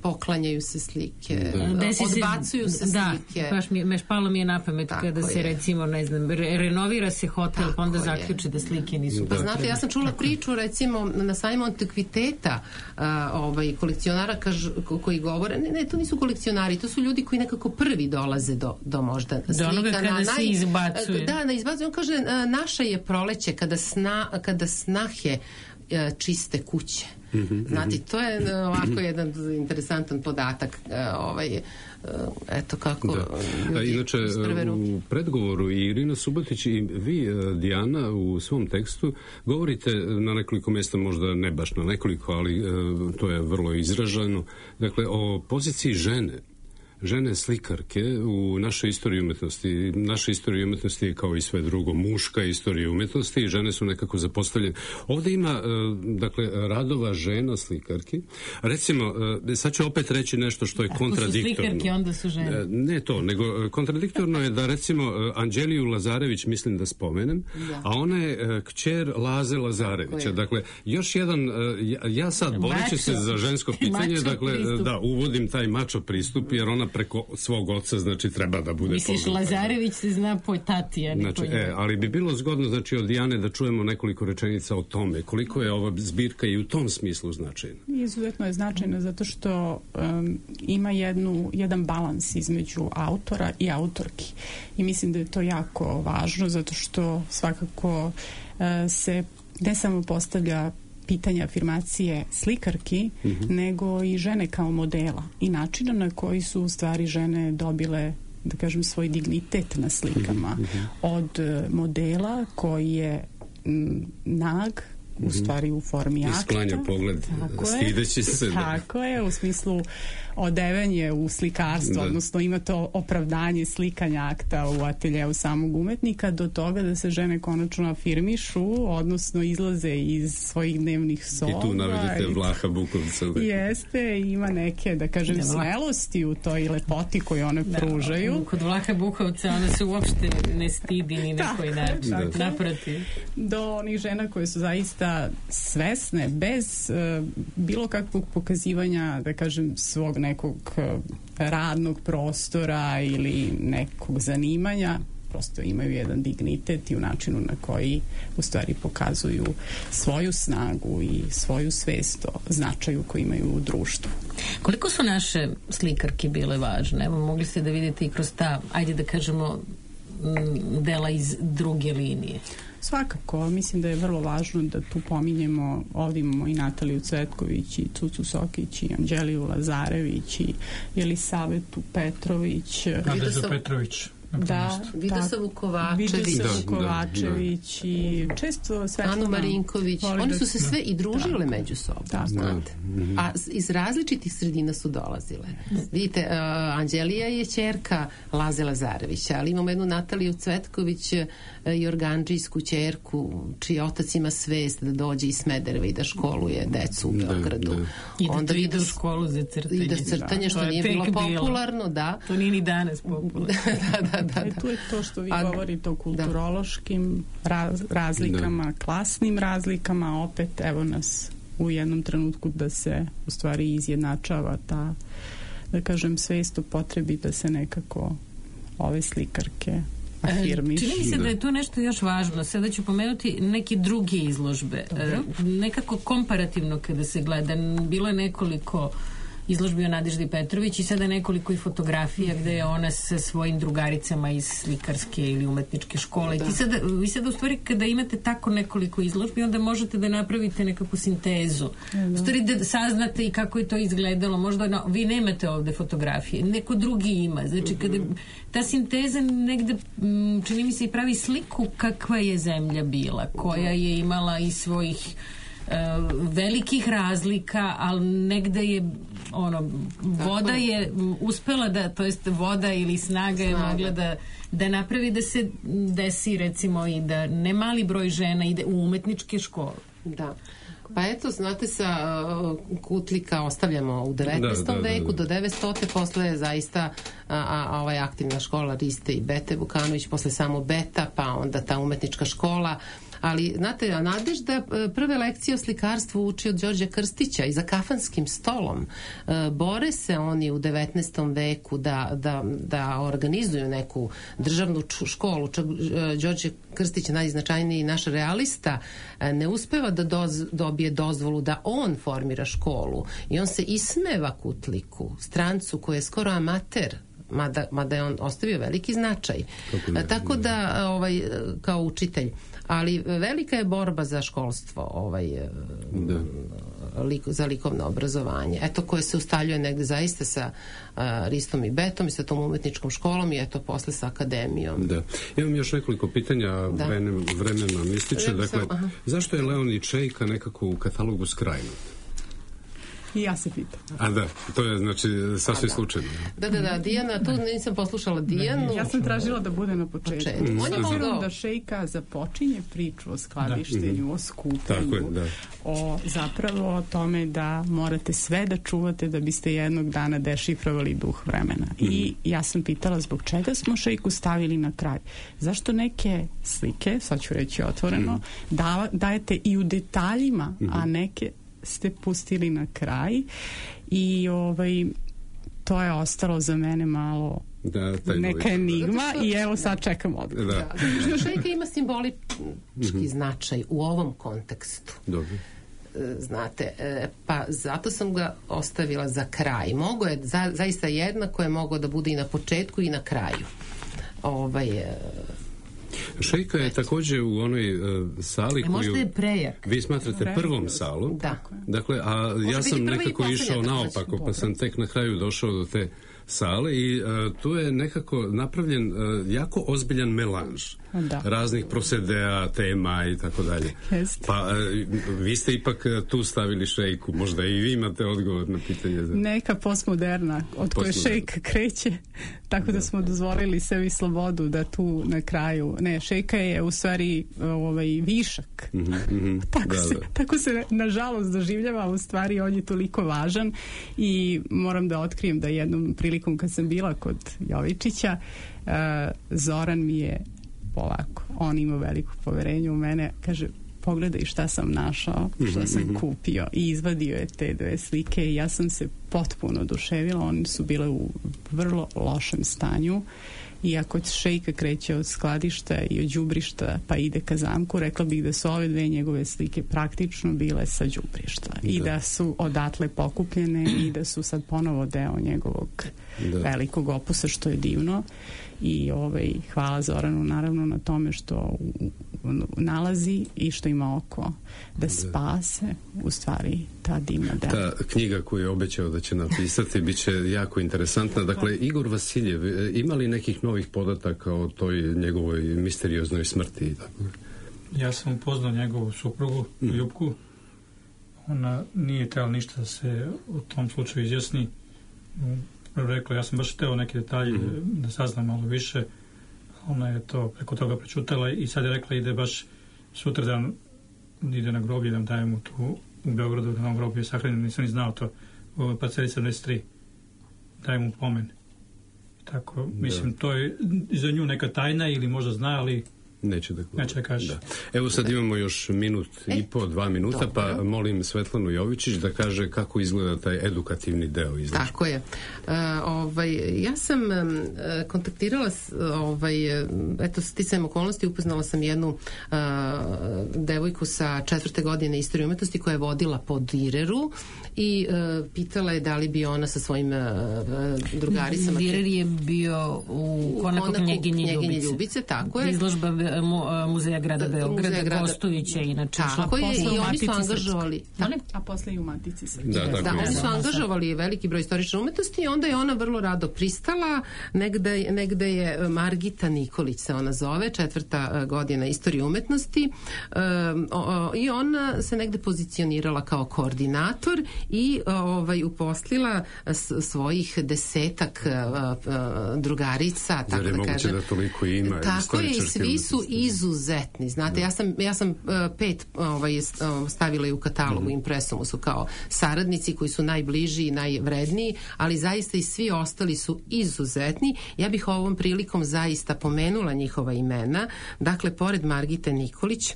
poklanjaju se slike, da. odbacuju se, se da, slike. Da, baš mi, meš palo mi je na pamet tako kada se je. recimo, ne znam, re, renovira se hotel, tako pa onda zaključe da slike nisu pa znate, ja sam čula tako. priču recimo na sajmu antikviteta a, ovaj, kolekcionara kaž, ko, koji govore, ne, ne, to nisu kolekcionari, to su ljudi koji nekako prvi dolaze do, do možda slika. Do onoga kada na, se naj, izbacuje. Da, na izbacuje. On kaže, a, naša je proleće kada, sna, kada snahe a, čiste kuće. Mm-hmm. Znate, to je ovako jedan interesantan podatak, ovaj, eto kako da. ljudi inače, u predgovoru i Irina Subotić i vi, Dijana, u svom tekstu govorite na nekoliko mjesta, možda ne baš na nekoliko, ali to je vrlo izraženo, dakle, o poziciji žene. Žene slikarke u našoj istoriji umetnosti. Naša istorija umetnosti je kao i sve drugo muška istorija umetnosti i žene su nekako zapostavljene. Ovdje ima, dakle, radova žena slikarki. Recimo, sad ću opet reći nešto što je Ako kontradiktorno. Ako su slikarke, onda su žene. Ne to, nego kontradiktorno je da recimo Anđeliju Lazarević mislim da spomenem, da. a ona je kćer Laze Lazarevića. Dakle, još jedan, ja, ja sad boreći se za žensko pitanje, dakle, pristup. da, uvodim taj mačo pristup, jer ona preko svog oca, znači, treba da bude... Misliš, Lazarević se zna po tati, a ne znači, po njoj. E, ali bi bilo zgodno, znači, od Dijane da čujemo nekoliko rečenica o tome. Koliko je ova zbirka i u tom smislu značajna? Izuzetno je značajna zato što um, ima jednu, jedan balans između autora i autorki. I mislim da je to jako važno zato što svakako uh, se ne samo postavlja pitanja afirmacije slikarki, mm-hmm. nego i žene kao modela i načina na koji su u stvari žene dobile, da kažem, svoj dignitet na slikama. Mm-hmm. Od modela koji je m, nag, u stvari u formi akta. Isklanja pogled, stideći se. Da. Tako je, u smislu odevenje u slikarstvo, da. odnosno ima to opravdanje slikanja akta u ateljeu samog umetnika, do toga da se žene konačno afirmišu, odnosno izlaze iz svojih dnevnih soba. I tu navedete Vlaha Bukovca. Da. Jeste, ima neke, da kažem, da, smelosti u toj lepoti koju one da, pružaju. Kod Vlaha Bukovca ona se uopšte ne stidi ni na koji način. Da. Naprotiv. Do onih žena koje su zaista svesne, bez uh, bilo kakvog pokazivanja, da kažem, svog nekog uh, radnog prostora ili nekog zanimanja, prosto imaju jedan dignitet i u načinu na koji u stvari pokazuju svoju snagu i svoju svest o značaju koji imaju u društvu. Koliko su naše slikarke bile važne? Evo, mogli ste da vidite i kroz ta, ajde da kažemo, dela iz druge linije. Svakako, mislim da je vrlo važno da tu pominjemo, ovdje imamo i Nataliju Cvetković i Cucu Sokić i Anđeliju Lazarević i Jelisavetu Petrović. Nadeždu Petrović. Da, Vidosavu Kovačević, Vidosavu Kovačević da, da. i često Svetlana Anu Marinković. Oni su se sve i družile tako. među sobom, tako. znate. A iz različitih sredina su dolazile. Vidite, uh, Anđelija je ćerka Laze Lazarevića, ali imamo jednu Nataliju Cvetković, uh, jorgandžijsku ćerku, čiji otac ima svest da dođe iz Smedereva i da školuje decu u Beogradu. Da, da. I da onda ide u školu za crtanje. I da crtanje, da. što nije bilo popularno, bilo. da. To nije ni danas popularno. da, da, da. E, tu je to što vi A, govorite o kulturološkim raz, razlikama, da. klasnim razlikama, opet evo nas u jednom trenutku da se u stvari izjednačava ta, da kažem, svest o potrebi da se nekako ove slikarke afirmiš. Čini mi se da je tu nešto još važno. Sada ću pomenuti neke druge izložbe. Dobro. Nekako komparativno kada se gleda, bilo je nekoliko izložbi o Nadeždi Petrović i sada nekoliko i fotografija gde je ona sa svojim drugaricama iz slikarske ili umetničke škole. Da. I sada, vi sada u stvari kada imate tako nekoliko izložbi, onda možete da napravite nekakvu sintezu. Da. U stvari da saznate i kako je to izgledalo. Možda no, vi nemate ovde fotografije, neko drugi ima. Znači kada ta sinteza negde čini mi se i pravi sliku kakva je zemlja bila, koja je imala i svojih velikih razlika, ali negde je ono, voda je uspela da, to jest voda ili snaga je mogla da, da napravi da se desi recimo i da ne mali broj žena ide u umetničke škole. Da. Pa eto, znate, sa uh, Kutlika ostavljamo u devetnaestom. Da, da, veku, da, da. do devetstotog. Posle je zaista a, a, a ovaj aktivna škola Riste i Bete Vukanović, posle samo Beta, pa onda ta umetnička škola. Ali, znate, a Nadežda prve lekcije o slikarstvu uči od Đorđa Krstića i za kafanskim stolom. Bore se oni u devetnaestom veku da, da, da organizuju neku državnu školu. Čak Đorđe Krstić, najznačajniji naš realista, ne uspeva da doz, dobije dozvolu da on formira školu i on se ismeva Kutliku, strancu koji je skoro amater, mada, mada je on ostavio veliki značaj. Ne, tako da, ovaj, kao učitelj, ali velika je borba za školstvo, ovaj, lik, za likovno obrazovanje. Eto, koje se ustaljuje negde zaista sa uh, Ristom i Betom i sa tom umetničkom školom i eto posle sa akademijom. Da. Imam još nekoliko pitanja, da. Vremen, vremena mi ističe. Dakle, sam, zašto je Leonid Šejka nekako u katalogu skrajnut? I ja se pitam. A da, to je znači sasvim da. slučajno. Da, da, da, Dijana, tu nisam poslušala Dijanu. Ja sam tražila da bude na početku. početku. Mm. On je mogao da Šejka započinje priču o skladištenju, o skupljenju, je, o zapravo o tome da morate sve da čuvate da biste jednog dana dešifrovali duh vremena. Mm. I ja sam pitala zbog čega smo Šejku stavili na kraj. Zašto neke slike, sad ću reći otvoreno, mm. da, dajete i u detaljima, mm. a neke ste pustili na kraj i ovaj to je ostalo za mene malo da, neka enigma i evo sad čekam odgovor. Da. Da, zato što Šejka ima simbolički mm-hmm. značaj u ovom kontekstu. Dobro. Znate, pa zato sam ga ostavila za kraj. Mogo je, za, zaista jednako je mogao da bude i na početku i na kraju. Ovaj... Šejka je također u onoj uh, sali koju... Možda je prejak. Vi smatrate prvom salom. Da. Dakle, a ja sam nekako išao naopako, pa sam tek na kraju došao do te sale i uh, tu je nekako napravljen uh, jako ozbiljan melanž da. raznih prosedea, tema i tako dalje. Pa uh, vi ste ipak tu stavili Šejku, možda i vi imate odgovor na pitanje. Za... Neka postmoderna, od koje Šejka kreće, tako da. da smo dozvolili sebi slobodu da tu na kraju, ne, Šejka je u stvari ovaj, višak. Mm-hmm, mm-hmm. tako, da, se, da. tako se nažalost doživljava, u stvari on je toliko važan i moram da otkrijem da jednom prilikom kad sam bila kod Jovičića, uh, Zoran mi je ovako, on ima veliko poverenje u mene, kaže pogledaj šta sam našao, šta sam mm-hmm. kupio i izvadio je te dve slike i ja sam se potpuno oduševila, one su bile u vrlo lošem stanju i ako Šejka kreće od skladišta i od đubrišta pa ide ka zamku, rekla bih da su ove dve njegove slike praktično bile sa đubrišta da. I da su odatle pokupljene i da su sad ponovo deo njegovog da. velikog opusa, što je divno i ovaj, hvala Zoranu naravno na tome što nalazi i što ima oko da spase u stvari ta divna dela. Ta knjiga koju je obećao da će napisati bit će jako interesantna. Dakle, Igor Vasiljev, ima li nekih novih podataka o toj njegovoj misterioznoj smrti? Ja sam upoznao njegovu suprugu, mm. Ljupku. Ona nije trebala ništa da se u tom slučaju izjasni. Rekla, ja sam baš hteo neke detalje mm. da saznam malo više. Ona je to preko toga prečutala i sad je rekla ide baš sutradan ide na groblje da daje mu tu u Beogradu na ovom groblju je sahranjen, nisam ni znao to u parceli sedamdeset tri daje mu pomen. Tako, mislim, da. To je za nju neka tajna ili možda zna, ali neće da, neće da kaže. Da. Evo sad imamo još minut e, i po, dva minuta, dobro. Pa molim Svetlanu Jovičić da kaže kako izgleda taj edukativni deo izlačka. Tako je. Uh, ovaj, ja sam um, kontaktirala ovaj, eto, sticajem okolnosti upoznala sam jednu uh, devojku sa četvrte godine istorije umetnosti koja je vodila po Direru i uh, pitala je da li bi ona sa svojim uh, drugaricama... Direr je bio u konaku Knjeginje Ljubice. Ljubice, tako je. Izložba mu, Muzeja grada Beograda, grada... Gostujuća inače. Tako je, i oni su angažovali... A posle i u Matici Srpske. Da, da, da, oni su angažovali veliki broj istorične umetnosti i onda je ona vrlo rado pristala. Negde, negde je Margita Nikolić se ona zove, četvrta godina istorije umetnosti um, o, o, i ona se negde pozicionirala kao koordinator i ovaj, uposlila s, svojih desetak uh, uh, drugarica, tako da kažem. Jer je moguće da toliko ima. Tako je, i svi su, izuzetni, znate, ja sam, ja sam uh, pet ovaj, stavila i u katalogu, mm-hmm. Impresumu su kao saradnici koji su najbliži i najvredniji, ali zaista i svi ostali su izuzetni. Ja bih ovom prilikom zaista pomenula njihova imena. Dakle, pored Margite Nikolić,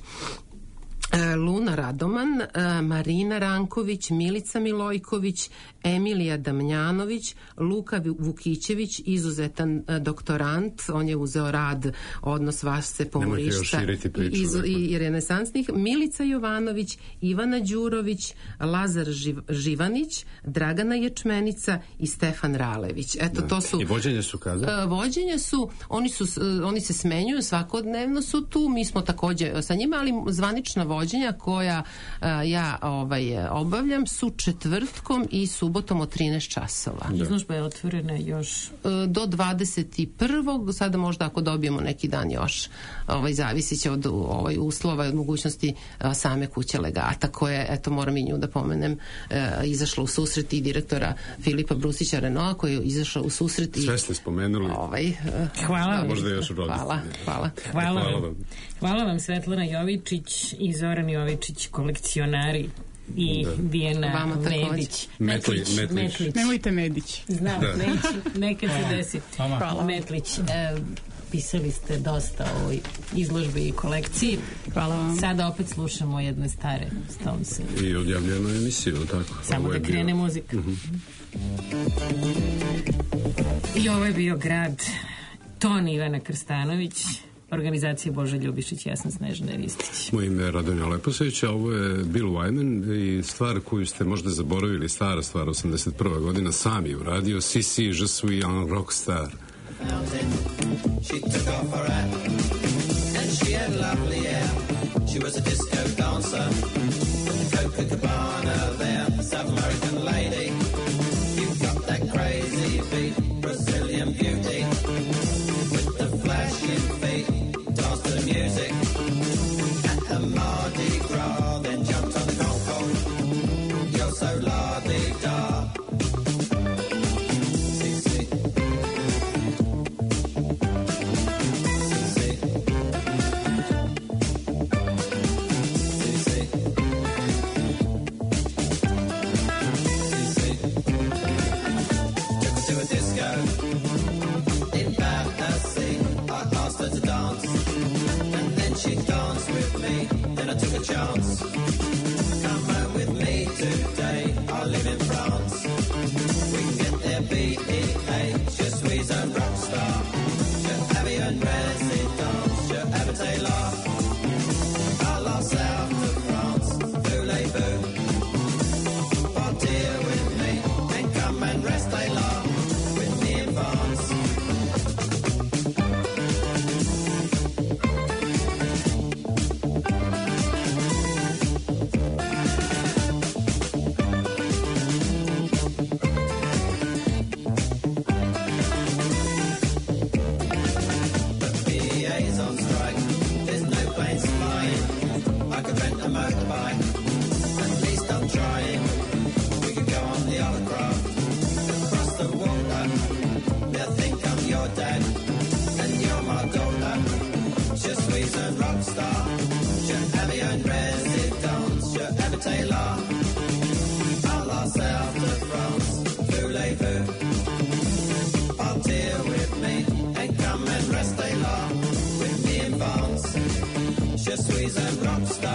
Luna Radoman, Marina Ranković, Milica Milojković, Emilija Damljanović, Luka Vukićević, izuzetan doktorant, on je uzeo rad odnos Vasce Pomorišta i, i renesansnih, Milica Jovanović, Ivana Đurović, Lazar Živ, Živanić, Dragana Ječmenica i Stefan Ralević. Eto, to su... I vođenje su kada? Vođenje su, oni, su, oni se smenjuju, svakodnevno su tu, mi smo takođe sa njima, ali zvanična vođenja koja a, ja ovaj, obavljam su četvrtkom i subotom od trinaest časova. Izložba je otvorena još do dvadeset prvog Sada možda ako dobijemo neki dan još, ovaj, zavisit će od ovaj, uslova i od mogućnosti a, same kuće legata koje, eto moram i nju da pomenem, a, izašla u susret i direktora Filipa Brusića Renoa koji je izašao u susret i... Sve ste spomenuli. Ovaj, a, hvala. Možda još hvala, hvala. Hvala. Hvala vam. Hvala vam Svetlana Jovičić i Zoran Jovičić, kolekcionari, i da. Dijana Medić. Metlić. Metlić. Metlić. Nemojte Medić. Znam, da. neću, nekad se desi. Hvala. Metlić, e, pisali ste dosta o ovoj izložbi i kolekciji. Hvala vam. Sada opet slušamo jedne stare Stonese. I odjavljenu emisiju, tako? Samo ovo da krene bio... muzika. Uh-huh. I ovo je bio grad Ton Ivana Krstanović, organizacija Boža Ljubišić, ja sam Snežana Ristić. Moje ime je Radonja Leposević, a ovo je Bill Wyman i stvar koju ste možda zaboravili, stara stvar, osamdeset prva godina, sam je uradio Si Si, Je suis un rockstar. She took off her hat and she had lovely hair. She was a disco dancer with the Copacabana there. South American lady, you've got that crazy beat, Brazilian beauty with the flashing feet. Danced to the music at the Mardi Gras, then jumped on the Concorde. You're so la-di-da. She danced with me, then I took a chance. Come home with me today, I live in France. We can get there, B E A, Je suis un rockstar. Je habille une résidence, je habite là. À la south of France, voulez-vous partir with me and come and rester là with me in France? Je suis un rockstar.